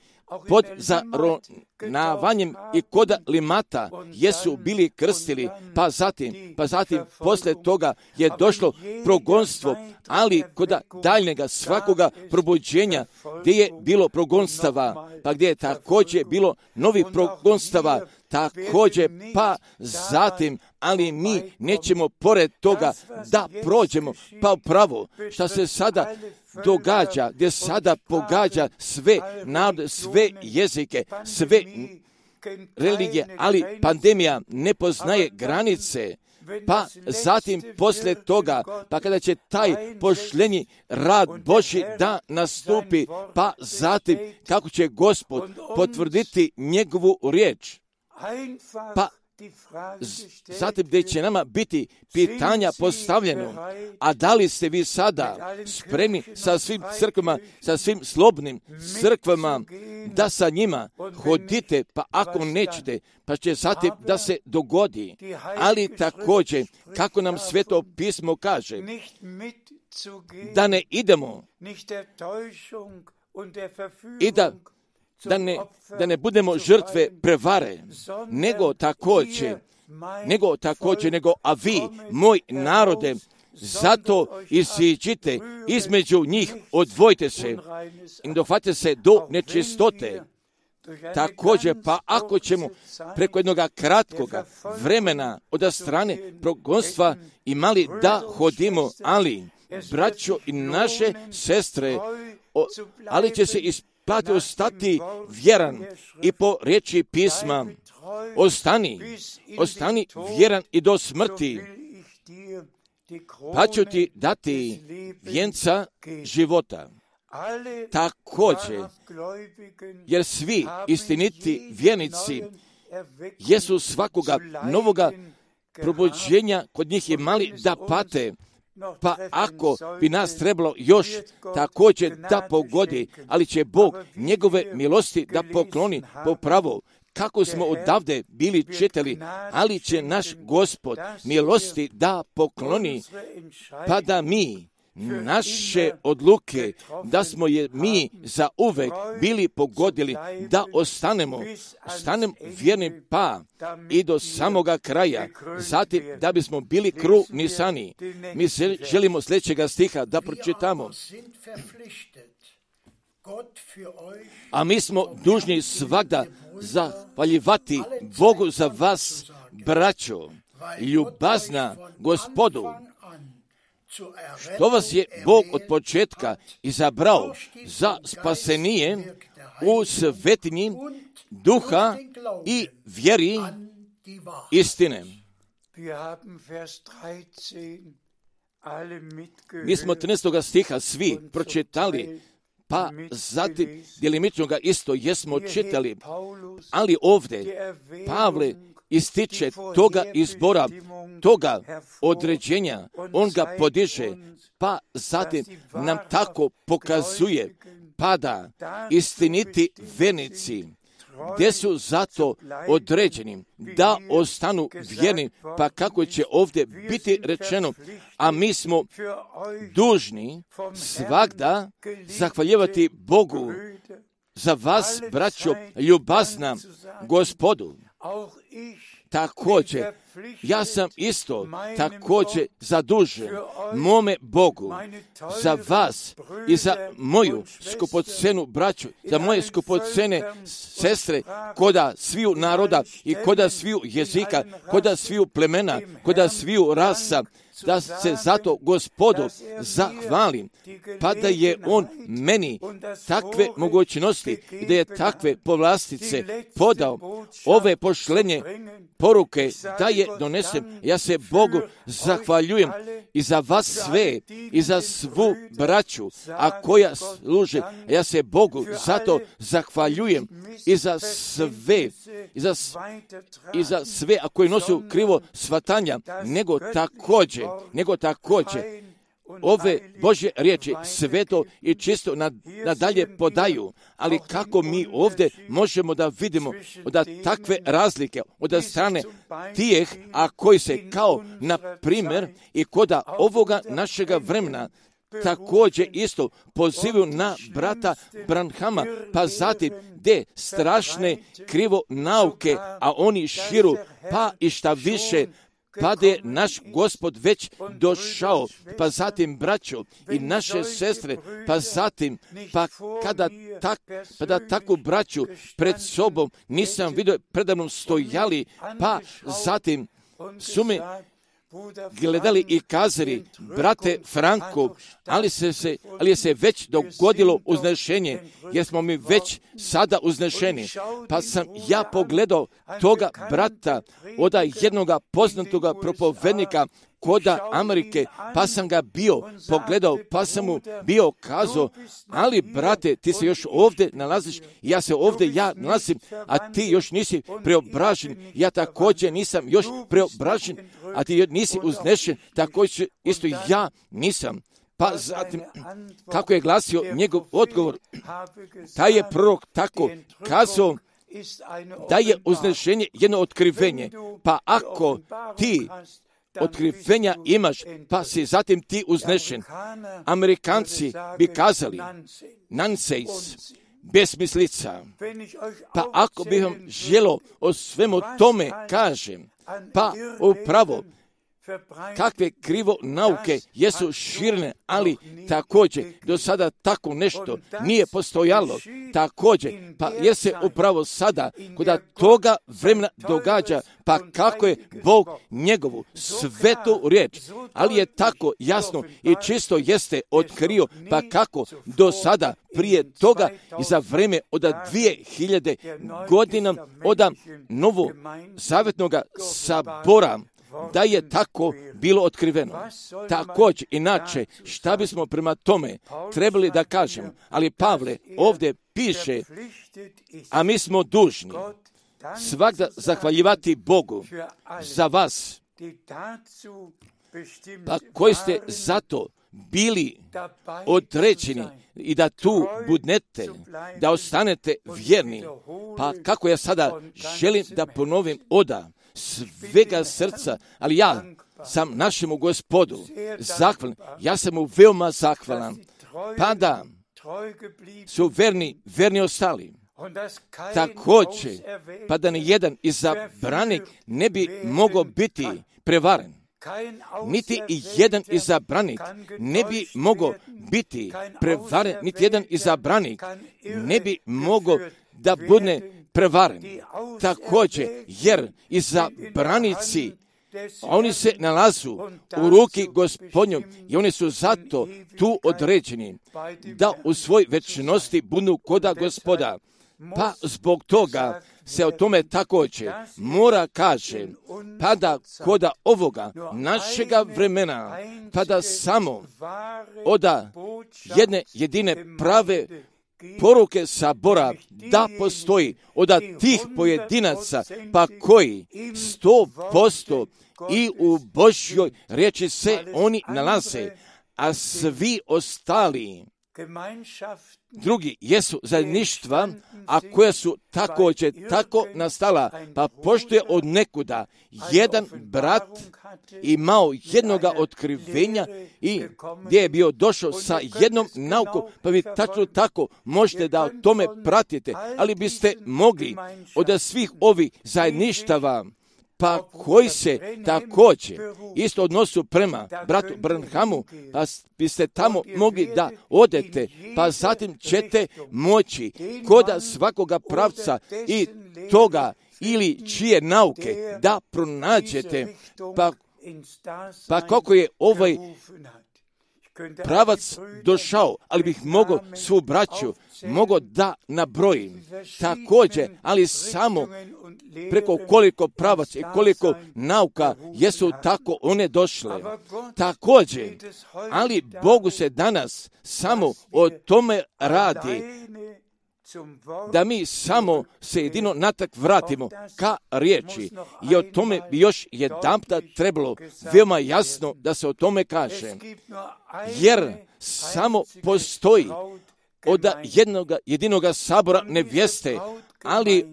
pod zaronavanjem i koda limata jesu bili krstili, pa zatim, pa zatim posle toga je došlo progonstvo, ali koda daljnjega svakoga probuđenja gdje je bilo progonstava, pa gdje je također bilo novi progonstava, također pa zatim, ali mi nećemo pored toga da prođemo, pa upravo što se sada događa, gdje sada pogađa sve narode, sve jezike, sve religije, ali pandemija ne poznaje granice, pa zatim poslije toga, pa kada će taj pošljenji rad Božji da nastupi, pa zatim kako će Gospod potvrditi njegovu riječ, pa zatim gdje će nama biti pitanja postavljeno, a da li ste vi sada spremni sa svim crkvama, sa svim slobodnim crkvama, da sa njima hodite, pa ako nećete, pa će zatim da se dogodi, ali također, kako nam Sveto pismo kaže, da ne idemo i da Da ne, da ne budemo žrtve prevare, nego također, nego također, nego, a vi, moj narode, zato iziđite između njih, odvojite se i dohvatite se do nečistote. Također, pa ako ćemo preko jednog kratkoga vremena od strane progonstva imali da hodimo, ali, braćo i naše sestre, o, ali će se ispraviti, pa te ostati vjeran i po riječi pisma, ostani, ostani vjeran i do smrti, pa ću ti dati vjenca života. Također, jer svi istiniti vjernici jesu svakoga novoga probuđenja kod njih imali da pate, pa ako bi nas trebalo još također da pogodi, ali će Bog njegove milosti da pokloni po pravo, kako smo odavde bili čitali, ali će naš Gospod milosti da pokloni, pa da mi naše odluke, da smo je mi za uvek bili pogodili, da ostanemo, ostanemo vjerni pa i do samoga kraja, zatim da bismo bili krunisani. Mi želimo sljedećega stiha da pročitamo. A mi smo dužni svagda zahvaljivati Bogu za vas, braćo, ljubazna Gospodu, što vas je Bog od početka izabrao za spasenije u svetinji duha i vjeri istine. Mi smo trinaestog stiha svi pročitali, pa zatim djelimično ga isto jesmo čitali, ali ovdje Pavle ističe toga izbora, toga određenja, on ga podiže, pa zatim nam tako pokazuje, pa da istiniti vernici gdje su zato određeni da ostanu vjerni, pa kako će ovdje biti rečeno, a mi smo dužni svagda zahvaljivati Bogu za vas, braćo, ljubazna Gospodu. Također, ja sam isto također zadužen mome Bogu za vas i za moju skupocenu braću, za moje skupocene sestre, koda sviju naroda i koda sviju jezika, koda sviju plemena, koda sviju rasa, da se zato Gospodu zahvalim, pa da je On meni takve mogućnosti i da je takve povlastice podao, ove pošlenje poruke da je donesem. Ja se Bogu zahvaljujem i za vas sve i za svu braću, a koja služe. Ja se Bogu zato zahvaljujem i za sve, i za, i za sve, a koji nosu krivo shvatanja, nego također, nego također ove Božje riječi sveto i čisto nadalje podaju, ali kako mi ovdje možemo da vidimo da takve razlike od strane tijeh, a koji se kao na primjer i koda ovoga našega vremena također isto pozivaju na brata Branhama, pa zatim gdje strašne krivo nauke, a oni širu, pa i šta više, pa da je naš Gospod već došao, pa zatim braćo i naše sestre, pa zatim, pa kada tak, pa da takvu braću pred sobom nisam vidio predavnom stojali, pa zatim su mi gledali i kazali, brate Franko, ali se, se, ali je se već dogodilo uznešenje, jer smo mi već sada uznešeni. Pa sam ja pogledao toga brata, oda jednoga poznatoga propovednika koda Amerike, pa sam ga bio pogledao, pa sam mu bio kazao, ali brate, ti se još ovdje nalaziš, ja se ovdje ja nalazim, a ti još nisi preobražen, ja također nisam još preobražen, a ti nisi uznešen, također isto ja nisam. Pa zatim, kako je glasio njegov odgovor, taj je prorok tako kazao, da je uznešenje jedno otkrivenje, pa ako ti otkrivenja imaš, pa si zatim ti uznešen. Amerikanci bi kazali, nonsense, besmislica. Pa ako bih vam želo o svemu tome kažem, pa upravo kakve krivo nauke jesu širne, ali također do sada tako nešto nije postojalo. Također, pa jer se upravo sada, kada toga vremena događa, pa kako je Bog njegovu svetu riječ, ali je tako jasno i čisto jeste otkrio, pa kako do sada prije toga i za vreme od dvije hiljade godina od novo zavjetnoga sabora, da je tako bilo otkriveno. Također, inače, šta bismo prema tome trebali da kažemo? Ali Pavle ovdje piše, a mi smo dužni svakda zahvaljivati Bogu za vas, pa koji ste zato bili određeni i da tu budnete, da ostanete vjerni. Pa kako ja sada želim da ponovim oda svega srca, ali ja sam našemu Gospodu zahvalan, ja sam mu veoma zahvalan, pa da su verni, verni ostali. Također, pa da ni jedan izabranik ne bi mogao biti prevaren. Niti i jedan izabranik ne bi mogao biti prevaren, niti jedan izabranik ne bi mogao da bude prevaren. Također, jer izabranici, oni se nalazu u ruki Gospodnjom i oni su zato tu određeni da u svoj večnosti budu koda Gospoda. Pa zbog toga se o tome također mora kaže, pa da koda ovoga našega vremena, pa da samo oda jedne jedine prave poruke sabora da postoji od tih pojedinaca, pa koji sto posto i u Božjoj riječi se oni nalaze, a svi ostali drugi jesu zajedništva, a koja su također tako nastala, pa pošto je od nekuda jedan brat imao jednoga otkrivenja i gdje je bio došao sa jednom naukom, pa vi tačno tako možete da o tome pratite, ali biste mogli od svih ovih zajedništava, pa koji se također isto odnosu prema bratu Branhamu, pa biste tamo mogli da odete, pa zatim ćete moći koda svakoga pravca i toga ili čije nauke da pronađete, pa, pa kako je ovaj pravac došao, ali bih mogao svu braću, mogao da nabrojim također, ali samo preko koliko pravac i koliko nauka jesu tako one došle. Također, ali Bogu se danas samo o tome radi, da mi samo se jedino natak vratimo ka riječi. I o tome bi još jedanput trebalo veoma jasno da se o tome kaže. Jer samo postoji od jednog jedinoga sabora nevjeste, ali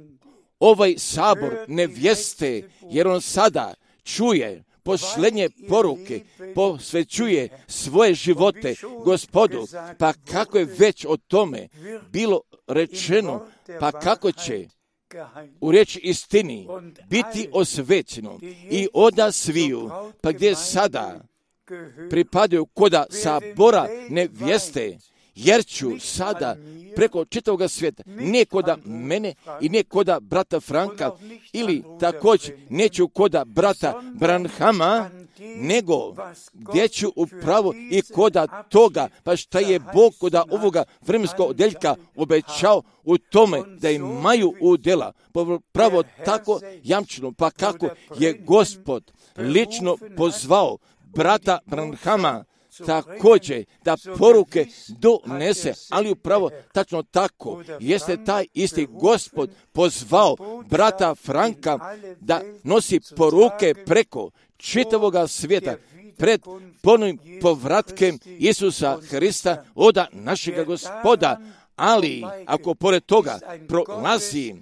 ovaj sabor nevjeste, jer on sada čuje posljednje poruke, posvećuje svoje živote Gospodu, pa kako je već o tome bilo rečeno, pa kako će u riječi istini biti osvećeno i oda sviju, pa gdje sada pripadaju koda sabora nevjeste, jer ću sada preko čitavoga svijeta, nije koda mene i nije koda brata Franka, ili također neću koda brata Branhama, nego gdje ću upravo i koda toga, pa šta je Bog koda ovoga vremenskog odjeljka obećao u tome da imaju udjela. Pravo tako jamčeno, pa kako je Gospod lično pozvao brata Branhama također da poruke donese, ali upravo tačno tako jeste taj isti Gospod pozvao brata Franka da nosi poruke preko čitavoga svijeta pred ponovnim povratkem Isusa Hrista oda našega Gospoda. Ali ako pored toga prolazi,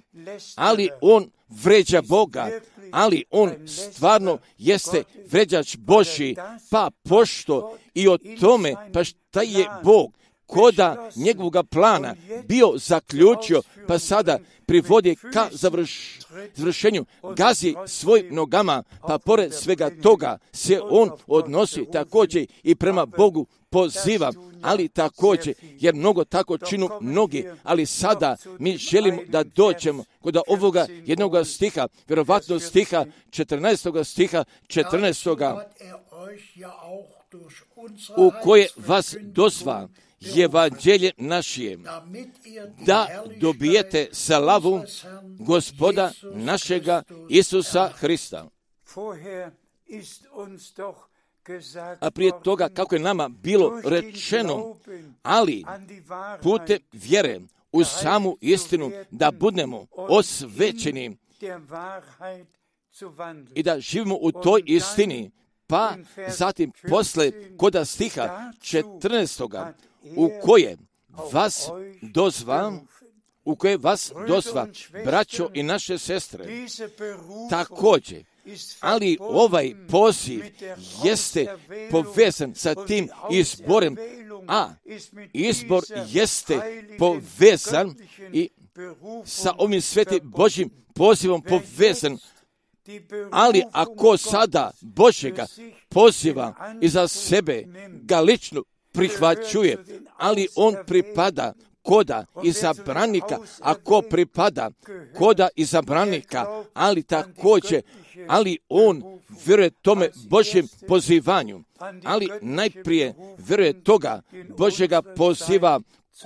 ali on vređa Boga, ali on stvarno jeste vređač Božji, pa pošto i o tome, pa šta je Bog koda njegovog plana bio zaključio, pa sada privodi ka završ, završenju, gazi svojim nogama, pa pored svega toga se on odnosi također i prema Bogu poziva, ali također, jer mnogo tako činu mnogi, ali sada mi želimo da dođemo kod ovoga jednoga stiha, vjerovatno stiha četrnaestoga stiha četrnaestoga u koje vas dozva evanđelje našije, da dobijete slavu Gospoda našega Isusa Hrista. A prije toga, kako je nama bilo rečeno, ali putem vjere u samu istinu da budemo osvećeni i da živimo u toj istini, pa zatim posle koda stiha četrnaestoga u koje vas dozva, u koje vas dozva, braćo i naše sestre, također, ali ovaj poziv jeste povezan sa tim izborem, a izbor jeste povezan i sa ovim svetim Božjim pozivom povezan. Ali ako sada Božjega poziva i za sebe ga lično prihvaćuje, ali on pripada koda izabranika, ako pripada koda izabranika, ali također, ali on vjeruje tome Božjem pozivanju, ali najprije vjeruje toga Božjega poziva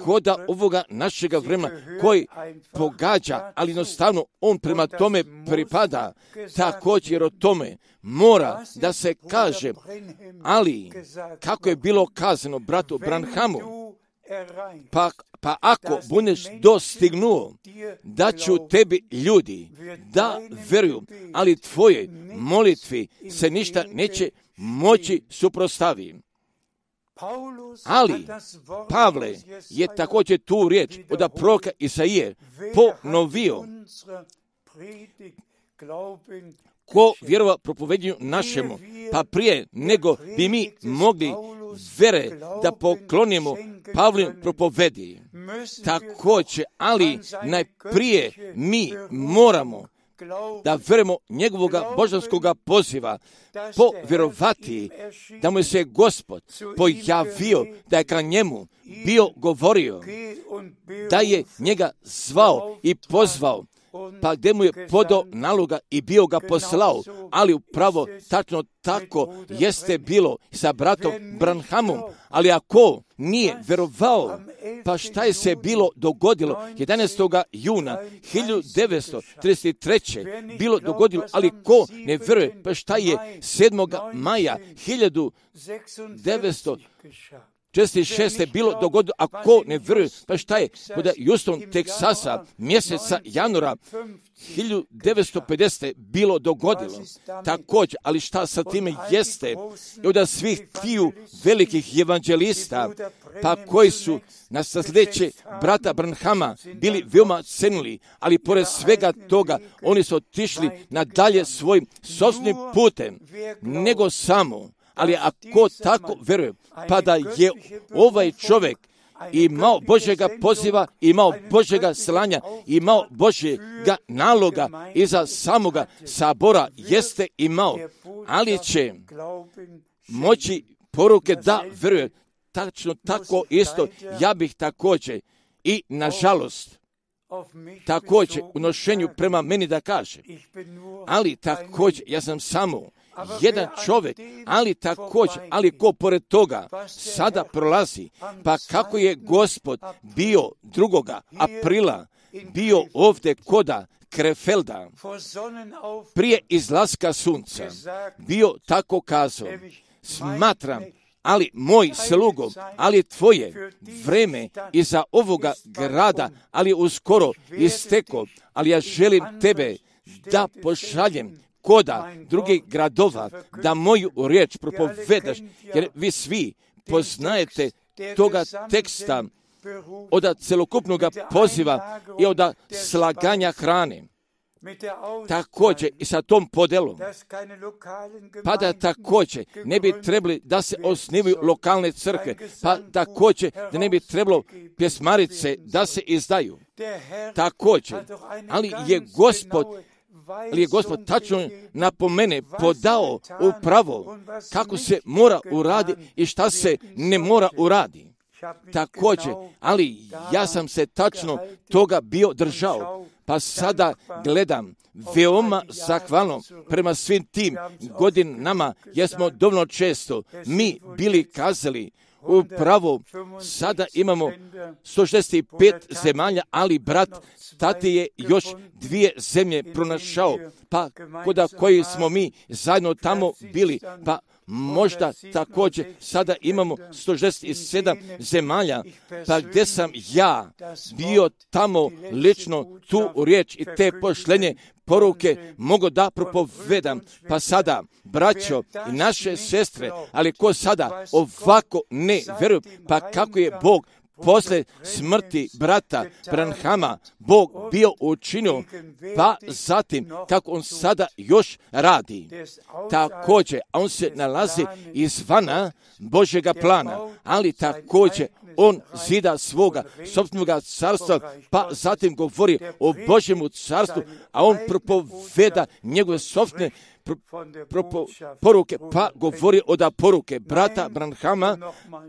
koda ovoga našega vremena koji pogađa, ali jednostavno on prema tome pripada, također o tome mora da se kaže, ali kako je bilo kazano bratu Branhamu, pa, pa ako budeš dostignuo, da ću tebi ljudi da vjeruju, ali tvoje molitvi se ništa neće moći suprotstaviti. Ali Pavle je također tu riječ od proroka Isaije ponovio. Ko vjerova propovednju našemu, pa prije nego bi mi mogli vere da poklonimo Pavlin propovedi. Također, ali najprije mi moramo da verujemo njegovoga božanskoga poziva, povjerovati da mu se Gospod pojavio, da je ka njemu bio govorio, da je njega zvao i pozvao, pa gdje mu je podao naloga i bio ga poslao, ali upravo tačno tako jeste bilo sa bratom Branhamom, ali ako nije verovao, pa šta je se bilo dogodilo jedanaestog juna hiljadu devetsto trideset treće bilo dogodilo, ali ko ne veruje, pa šta je sedmog maja hiljadu devetsto četrdeset šeste bilo dogodilo, a ko ne vjeruje, pa šta je kod Houston, Teksasa, mjeseca januara hiljadu devetsto pedesete bilo dogodilo. Također, ali šta sa time jeste, i od svih tiju velikih evanđelista, pa koji su na sljedeće brata Branhama bili veoma cenili, ali pored svega toga oni su otišli nadalje svojim sopstvenim putem, nego samo. Ali ako tako vjeruje, pa da je ovaj čovjek imao Božjega poziva, imao Božjega slanja, imao Božjega naloga iza samoga sabora, jeste imao, ali će moći poruke da vjeruje. Tačno tako isto, ja bih također i nažalost također u nošenju prema meni da kažem, ali također ja sam samo jedan čovjek, ali također, ali ko pored toga sada prolazi, pa kako je Gospod bio drugoga aprila, bio ovdje koda Krefelda, prije izlaska sunca, bio tako kazao, smatram, ali moj slugo, ali tvoje vreme iza ovoga grada, ali uskoro isteko, ali ja želim tebe da pošaljem koda drugih gradova, da moju riječ propovedaš, jer vi svi poznajete toga teksta od celokupnog poziva i od slaganja hrane. Također i sa tom podelom, pa da također ne bi trebali da se osnivaju lokalne crkve, pa također da ne bi trebalo pjesmarice da se izdaju. Također, ali je Gospod ali je Gospod tačno napomene podao upravo kako se mora uraditi i šta se ne mora uraditi. Također, ali ja sam se tačno toga bio držao, pa sada gledam veoma zahvalno prema svim tim godinama, jer smo dovoljno često mi bili kazali, upravo sada imamo sto šezdeset pet zemalja, ali brat tati je još dvije zemlje pronašao, pa koda koji smo mi zajedno tamo bili, pa možda također sada imamo sto šezdeset sedam zemalja, pa gdje sam ja bio tamo lično tu riječ i te pošlenje poruke mogu da propovedam, pa sada, braćo i naše sestre, ali ko sada ovako ne vjeruju, pa kako je Bog posle smrti brata Branhama Bog bio učinio, pa zatim kako on sada još radi. Također, on se nalazi izvana Božjega plana, ali također on zida svoga sopstvenoga carstva, pa zatim govori o Božjemu carstvu, a on propoveda njegove sopstvene Pro, pro, poruke, pa govori od poruke brata Branhama,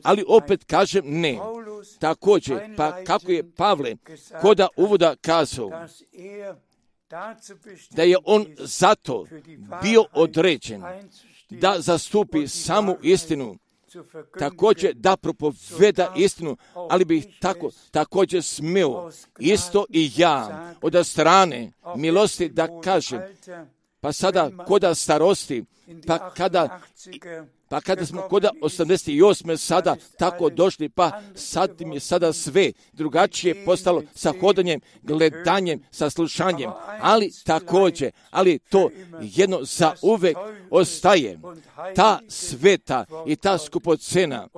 ali opet kažem ne. Također, pa kako je Pavle koda uvoda kazao, da je on zato bio određen da zastupi samu istinu, također da propoveda istinu, ali bih tako, također smio isto i ja od strane milosti da kažem, pa sada koda starosti, pa kada, pa kada smo koda osamdeset osme sada tako došli, pa sad mi je sada sve drugačije postalo sa hodanjem, gledanjem, sa slušanjem, ali također, ali to jedno za uvek ostaje ta sveta i ta skupocena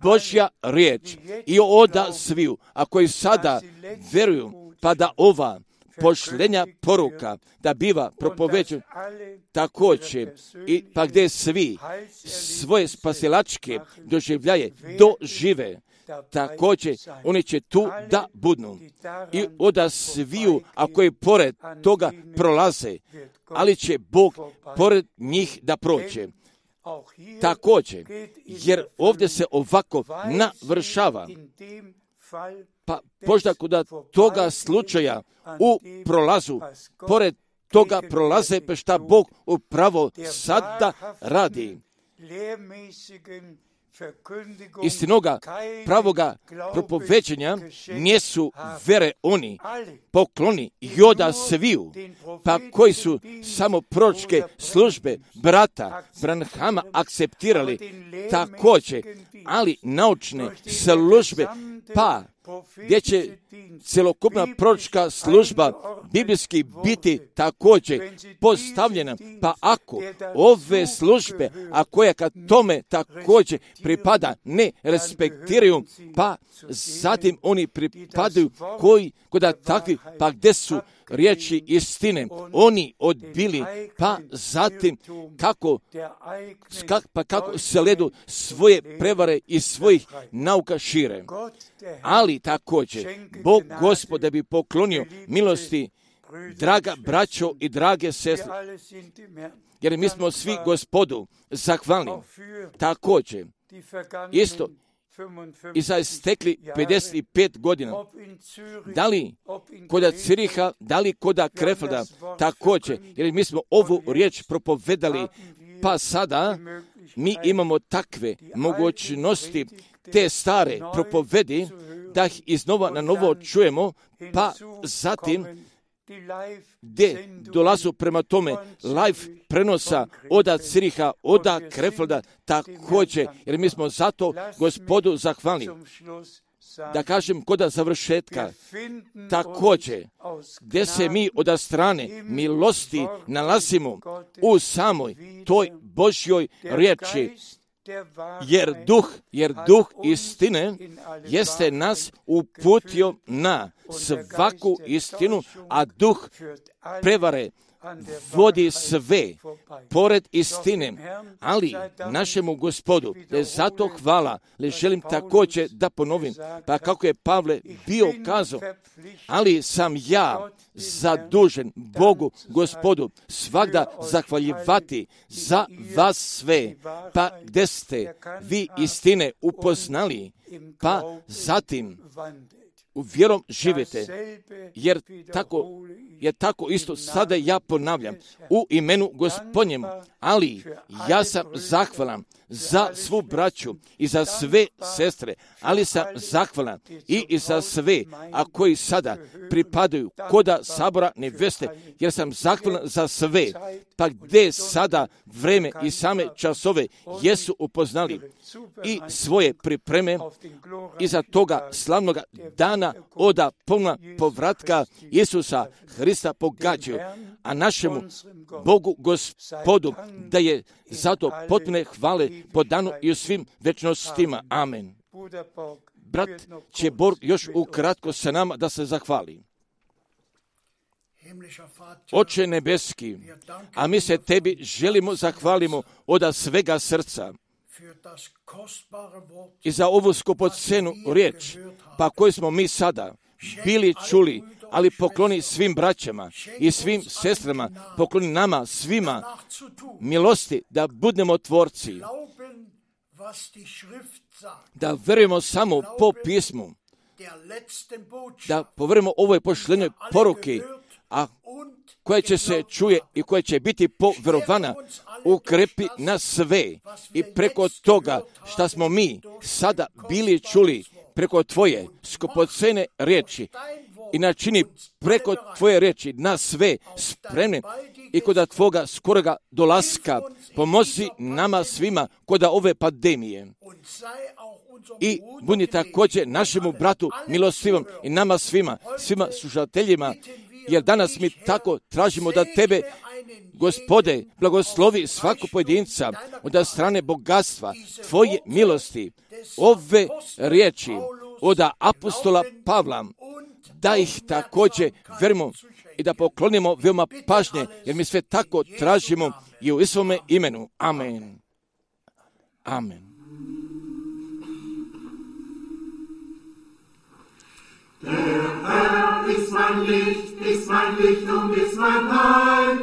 Božja riječ i oda sviju, a koji sada veruju, pa da ova pošlenja poruka da biva propoveđen također i pa gdje svi svoje spasilačke doživljaje dožive, također oni će tu da budnu i oda sviju, a koji pored toga prolaze, ali će Bog pored njih da prođe. Također, jer ovdje se ovako navršava, pa možda kod toga slučaja u prolazu, pored toga prolaze, pa šta Bog upravo sada radi. Istinoga pravoga propoveđenja nisu vere oni pokloni joda sviju, pa koji su samo proročke službe brata Branhama akceptirali također, ali naučne službe, pa gdje će celokupna proročka služba biblijski biti također postavljena, pa ako ove službe, a koja kad tome također pripada, ne respektiraju, pa zatim oni pripadaju koji kod takvi, pa gdje su riječi istine, oni odbili, pa zatim kako, pa kako se ledu svoje prevare i svojih nauka šire. Ali također, Bog Gospod da bi poklonio milosti, draga braćo i drage sestre, jer mi smo svi Gospodu zahvalni. Također, isto, i za stekli pedeset pet godina, da li koda Ciriha, da li koda Krefelda, također, jer mi smo ovu riječ propovedali, pa sada mi imamo takve mogućnosti, te stare propovedi, da ih iznova na novo čujemo, pa zatim gdje dolazu prema tome live prenosa oda Ciriha, oda Krefelda, također, jer mi smo zato Gospodu zahvalni. Da kažem koda završetka, također, gdje se mi od strane milosti nalazimo u samoj toj Božjoj riječi, jer duh, jer duh istine jeste nas uputio na svaku istinu, a duh prevare vodi sve pored istine, ali našemu Gospodu, da je zato hvala, le želim također da ponovim, pa kako je Pavle bio kazao, ali sam ja zadužen Bogu, Gospodu, svagda zahvaljivati za vas sve, pa gdje ste vi istine upoznali, pa zatim u vjerom živite, jer tako, jer tako isto sada ja ponavljam u imenu Gospodnjemu, ali ja sam zahvalan za svu braću i za sve sestre, ali sam zahvalan i, i za sve, a koji sada pripadaju koda sabora neveste, jer sam zahvalan za sve, pa gdje sada vreme i same časove jesu upoznali i svoje pripreme iza toga slavnoga dana oda puna povratka Isusa Hrista pogađaju, a našemu Bogu Gospodu da je zato potpune hvale po danu i u svim večnostima. Amen. Brat će Borg još ukratko sa nama da se zahvali. Oče nebeski, a mi se tebi želimo zahvalimo od svega srca i za ovu skupocenu riječ, pa koju smo mi sada bili čuli, ali pokloni svim braćama i svim sestrama, pokloni nama svima milosti da budemo tvorci, da verujemo samo po pismu, da poverujemo ovoj pošlenoj poruki, a koja će se čuje i koja će biti poverovana, ukrepi na sve i preko toga što smo mi sada bili čuli preko tvoje skupocene riječi i načini preko tvoje riječi na sve spremne i kod tvoga skoroga dolaska pomozi nama svima kod ove pandemije. I budi također našemu bratu milostivom i nama svima, svima slušateljima, jer danas mi tako tražimo da tebe Gospode, blagoslovi svaku pojedinca od strane bogatstva Tvoje milosti. Ove riječi od apostola Pavla, da ih također verimo i da poklonimo veoma pažnje, jer mi sve tako tražimo i u svome imenu. Amen. Amen. Der Herr ist mein Licht, ist mein Licht und ist mein Heil.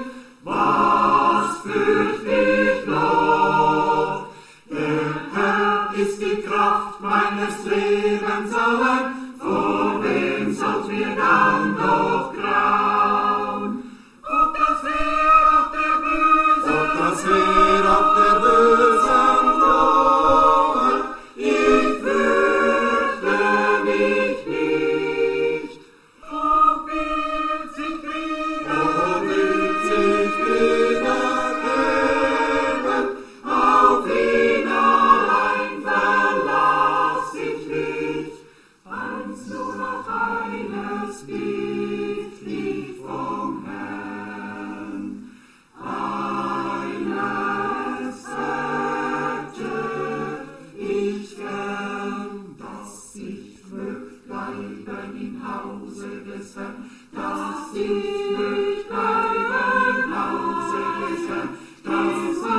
Was fürcht ich noch? Der Herr ist die Kraft meines Lebens allein. Vor wem sollt mir dann noch grauen? Ob das Heer auf der Bösen, ob das Heer auf der Bösen droht, ich fürchte mich nicht. Ob will sich Kriege, ob will sich Kriege geben, auf ihn allein verlass ich mich. Eins nur noch eines bitt ich vom Herrn, eines hätte ich gern, dass ich möcht bleiben im Hause des Herrn, dass ich möcht bleiben im Hause des Herrn, dass ich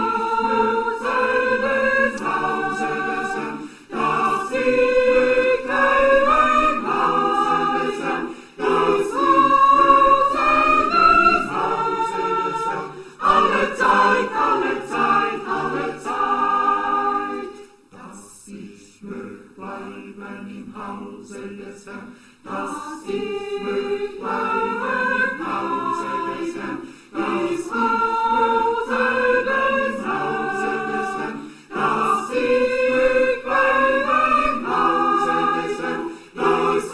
möcht sein im Hause des Herrn, dass ich möcht bleiben im Hause des Herrn, dass ich möcht sein im Hause des Herrn, alle Zeit, alle Zeit, alle Zeit, dass ich möcht bleiben im Hause des Herrn, dass ich möcht bleiben im Hause des Herrn, dass ich möcht sein im Hause des Herrn, dass ich möcht bleiben im Hause des Herrn, dass ich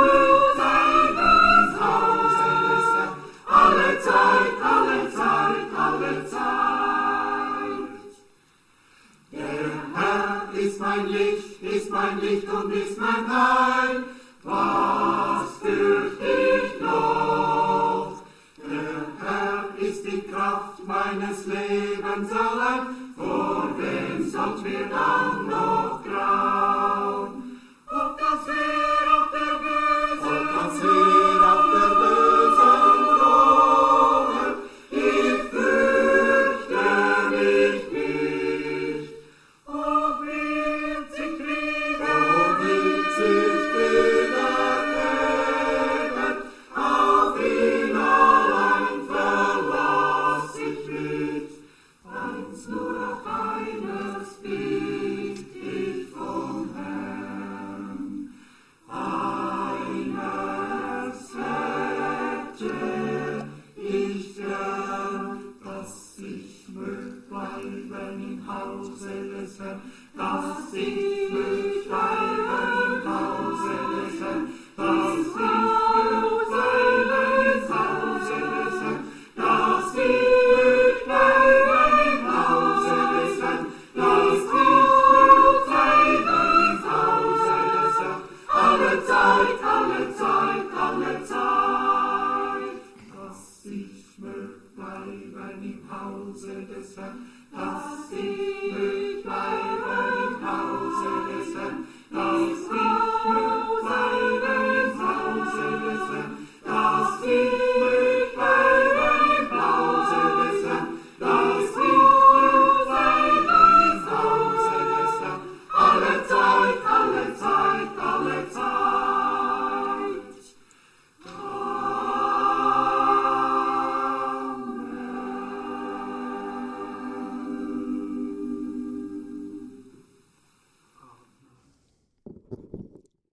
möcht sein im Hause des Herrn, alle Zeit, alle Zeit, alle Zeit. Der Herr ist mein Licht, ist mein Licht und ist mein Heil. Was fürcht ich noch? Der Herr ist die Kraft meines Lebens allein. Vor wem sollt mir dann noch grauen? Ob das Heer auf der Bösen, ob das Heer auf der Bösen droht, ich fürchte mich nicht. Ob wird sich Kriege, ob wird sich Kriege geben, auf ihn allein verlass ich mich. Eins nur noch eines bitt ich vom Herrn, eines hätte ich gern, dass ich möcht bleiben im Hause des Herrn, dass ich möcht bleiben im Hause des Herrn, dass ich möcht bleiben im Hause des Herrn, dass ich möcht bleiben im Hause des Herrn, dass ich möcht bleiben im Hause des Herrn, alle Zeit, alle Zeit, alle Zeit, dass ich möcht bleiben im Hause des Herrn,